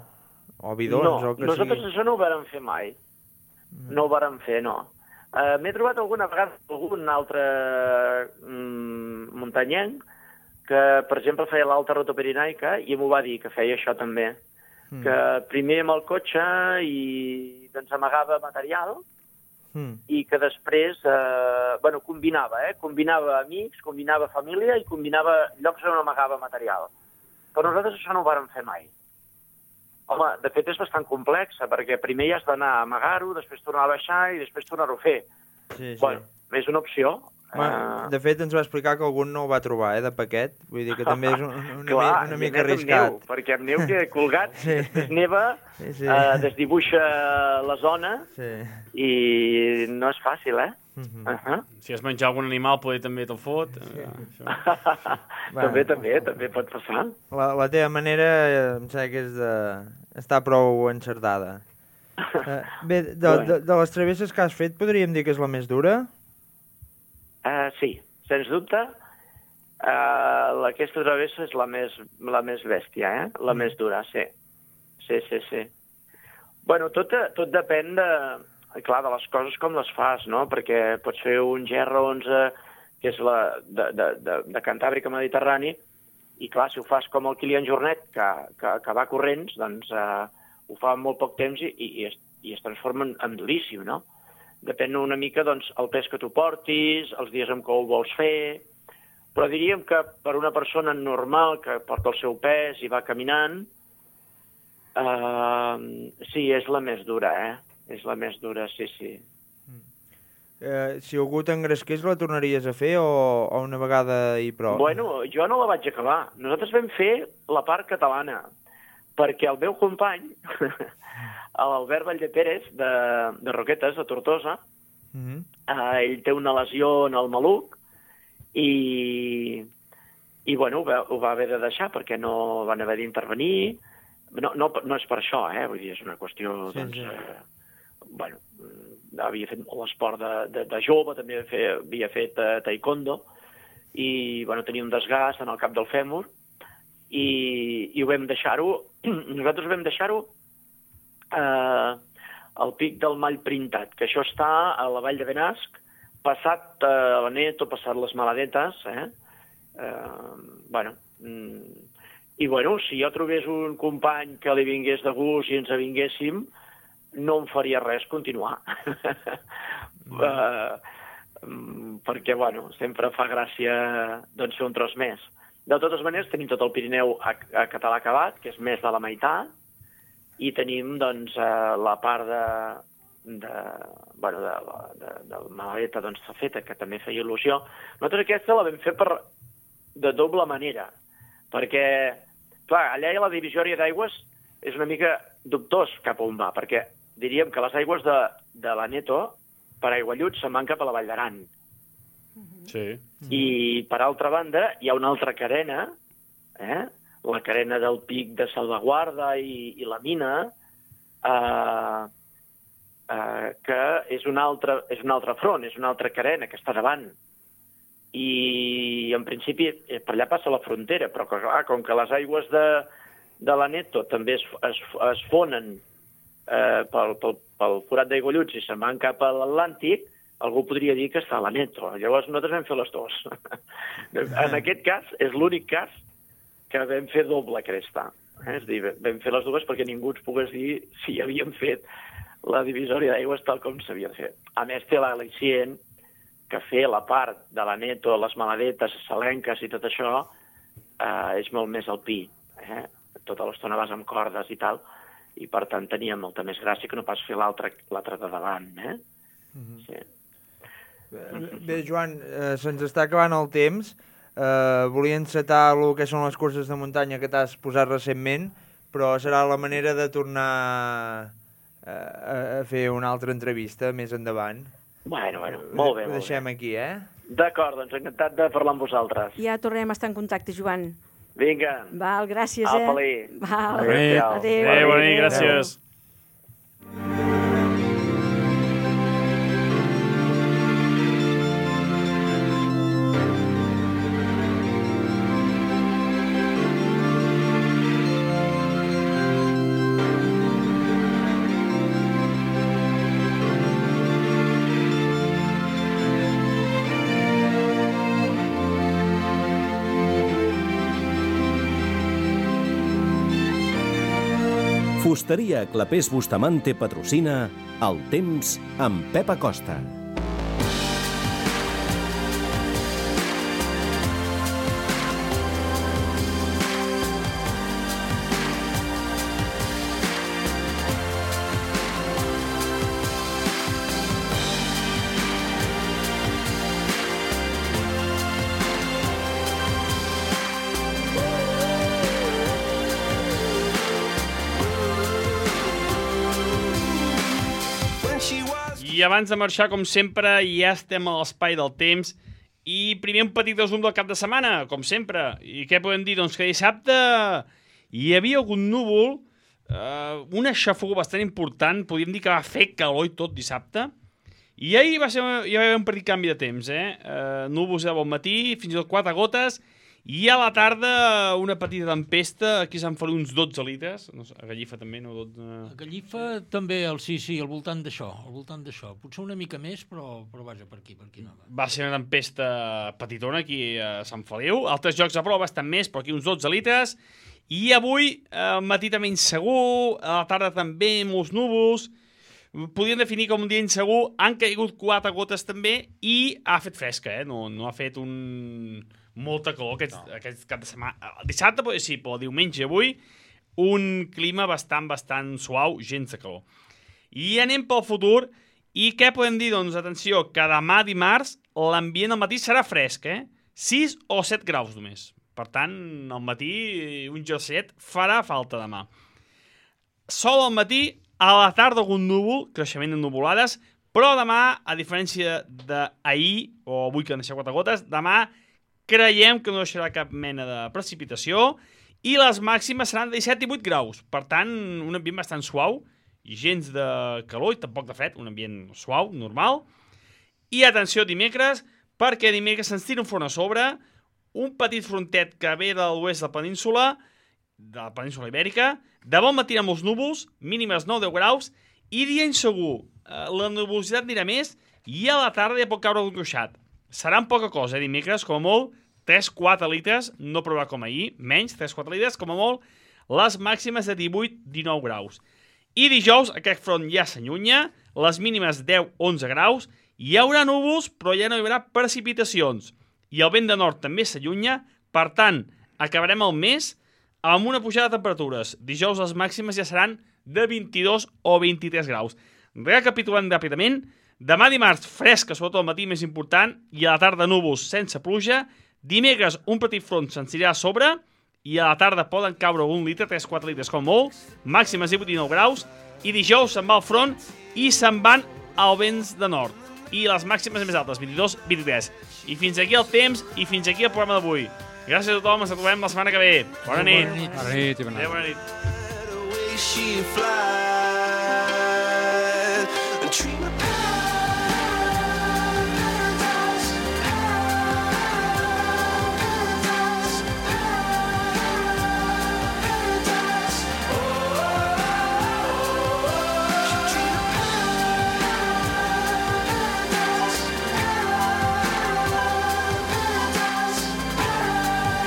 o bidons? No, o que nosaltres sigui. Això no ho vàrem fer mai. No ho vàrem fer, no. Uh, M'he trobat alguna vegada algun altre mm, muntanyenc que, per exemple, feia l'alta ruta pirinaica i m'ho va dir, que feia això també. Mm. Que primer amb el cotxe i doncs amagava material mm. i que després, eh, bueno, combinava, eh? Combinava amics, combinava família i combinava llocs on amagava material. Però nosaltres això no ho vàrem fer mai. Home, de fet és bastant complexa, perquè primer ja has d'anar a amagar-ho, després tornar a baixar i després tornar-ho a fer. Sí, sí. Bueno, és una opció. Bueno, de fet, ens va explicar que algun no ho va trobar, eh, de paquet. Vull dir que també és un, una, Clar, una mica i arriscat. Neu, perquè amb neu queda colgat, sí. després neva, sí, sí. Eh, desdibuixa la zona sí. i no és fàcil, eh? Uh -huh. Uh -huh. Si has menjat algun animal, poder també te'l fot. Sí. Eh, també, també, també pot passar. La, la teva manera, em sembla que és de... està prou encertada. Uh, bé, de, de, de les travesses que has fet, podríem dir que és la més dura? Uh, sí, sens dubte. Uh, aquesta travessa és la més, la més bèstia, eh? La mm. més dura, sí. Sí, sí, sí. Bueno, tot, tot depèn de, clar, de les coses com les fas, no? Perquè pots fer un G R onze, que és la de, de, de, de Cantàbrica Mediterrani, i clar, si ho fas com el Kilian Jornet, que, que, que va corrents, doncs uh, ho fa en molt poc temps i, i, es, i es transforma en, en duríssim, no? Depèn una mica, doncs, el pes que tu portis, els dies en què ho vols fer, però diríem que per una persona normal que porta el seu pes i va caminant, eh, sí, és la més dura, eh? És la més dura, sí, sí. Eh, si algú t'engresqués, la tornaries a fer o, o una vegada i prou? Bueno, jo no la vaig acabar. Nosaltres vam fer la part catalana, perquè el meu company, l'Albert Valldepérez, de, de Roquetes, de Tortosa, mm-hmm. eh, ell té una lesió en el maluc i, i bueno, ho va, ho va haver de deixar perquè no van haver d'intervenir. No, no, no és per això, eh? Vull dir, és una qüestió, sí, doncs... Sí. Eh, bueno, havia fet molt esport de, de, de jove, també havia fet, havia fet uh, taekwondo, i bueno, tenia un desgast en el cap del fèmur, i, i ho vam deixar-ho, nosaltres vam deixar-ho eh, al pic del Mall Printat, que això està a la vall de Benasc, passat eh, la Neto, passat les Maladetes, eh? Eh, bueno, mm, i bueno, si jo trobés un company que li vingués de gust i ens avinguéssim, no em faria res continuar. Mm. uh, perquè, bueno, sempre fa gràcia doncs, fer un tros més. De totes maneres, tenim tot el Pirineu a, a català acabat, que és més de la meitat, i tenim, doncs, uh, la part de, de, bueno, de, de, de la Malaleta, doncs, s'ha feta, que també feia il·lusió. Nosaltres aquesta la vam fer per, de doble manera, perquè, clar, allà la divisòria d'aigües és una mica dubtós cap on va, perquè diríem que les aigües de, de la Neto, per Aiguallut, se'n van cap a la Vall d'Aran. Sí. I, per altra banda, hi ha una altra carena, eh? La carena del Pic de Salvaguarda i, i la Mina, eh, eh, que és un, altre, és un altre front, és una altra carena que està davant. I, en principi, per allà passa la frontera, però, clar, com que les aigües de, de la Neto també es, es, es fonen eh, pel, pel, pel forat d'Aigualluts i se'n van cap a l'Atlàntic, algú podria dir que està a la Neto. Llavors nosaltres vam fer les dues. En aquest cas, és l'únic cas que vam fer doble cresta. Eh? És a dir, vam fer les dues perquè ningú ens pogués dir si havíem fet la divisòria d'aigües tal com s'havia de fer. A més, té l'al·licient que fer la part de la Neto, les Maladetes, Salenques i tot això, eh, és molt més alpí. Eh? Tota l'estona vas amb cordes i tal, i per tant tenia molta més gràcia que no pas fer l'altra de davant. Eh? Mm-hmm. Sí. Bé, Joan, eh, se'ns està acabant el temps. Eh, volia encetar el que són les curses de muntanya que t'has posat recentment, però serà la manera de tornar a, a fer una altra entrevista més endavant. Bueno, bueno, molt bé, Ho molt deixem bé. aquí, eh? D'acord, doncs encantat de parlar amb vosaltres. Ja tornarem a estar en contacte, Joan. Vinga. Val, gràcies, eh? Apa-li. Val. Adéu. Adéu. Adéu, bona nit, gràcies. Fusteria Clapés Bustamante patrocina El temps amb Pep Acosta. I abans de marxar, com sempre, ja estem a l'espai del temps. I primer un petit resum del cap de setmana, com sempre. I què podem dir? Doncs que dissabte hi havia algun núvol, eh, una xafogó bastant important, podríem dir que va fer calor i tot dissabte. I ahir va ser, hi va haver un petit canvi de temps, eh? eh núvols de bon matí, fins i tot quatre gotes, i a la tarda una petita tempesta, aquí Sant Feliu uns dotze litres, no sé, a Gallifa també, no? dotze... A Gallifa també, el, sí, sí, al voltant d'això, al voltant d'això. Potser una mica més, però, però vaja, per aquí, per aquí no va. Va ser una tempesta petitona aquí a Sant Feliu. Altres jocs de prova estan més, però aquí uns dotze litres. I avui, al matí també insegur, a la tarda també molts núvols. Podríem definir com un dia insegur. Han caigut quatre gotes també i ha fet fresca, eh? No, no ha fet un... molta calor aquest, no. aquest cap de setmana. Dissabte, sí, però diumenge avui, un clima bastant, bastant suau, gens de calor. I anem pel futur. I què podem dir? Doncs, atenció, que demà dimarts l'ambient al matí serà fresc, eh? sis o set graus només. Per tant, al matí un jerseet farà falta demà. Sol al matí, a la tarda algun núvol, creixement de nuvolades, però demà, a diferència d'ahir, o avui que han deixat quatre gotes, demà creiem que no deixarà cap mena de precipitació i les màximes seran de disset i vuit graus. Per tant, un ambient bastant suau i gens de calor i tampoc de fred, un ambient suau, normal. I atenció dimecres, perquè dimecres se'ns tira un front a sobre, un petit frontet que ve de l'oest de la península, de la península ibèrica, de bon matí amb els núvols, mínimes nou a deu graus, i dia insegur. La nuvolositat anirà més i a la tarda ja pot caure un ruixat. Seran poca cosa, eh, dimecres, com a molt, tres a quatre litres, no provarà com ahir, menys, tres a quatre litres, com a molt, les màximes de divuit a dinou graus. I dijous, aquest front ja s'allunya, les mínimes deu a onze graus, hi haurà núvols, però ja no hi haurà precipitacions. I el vent de nord també s'allunya, per tant, acabarem el mes amb una pujada de temperatures. Dijous les màximes ja seran de vint-i-dos o vint-i-tres graus. Recapitulant ràpidament, demà dimarts, fresca, sobretot al matí més important, i a la tarda núvols sense pluja. Dimecres, un petit front se'ns anirà a sobre, i a la tarda poden caure un litre, tres a quatre litres com molt, màximes divuit a dinou graus, i dijous se'n va al front i se'n van als vents de nord. I les màximes més altes, vint-i-dos a vint-i-tres. I fins aquí el temps, i fins aquí el programa d'avui. Gràcies a tothom, ens trobem la setmana que ve. Bona nit. Bona nit i bona nit. Adéu, bona nit. She flies, a dream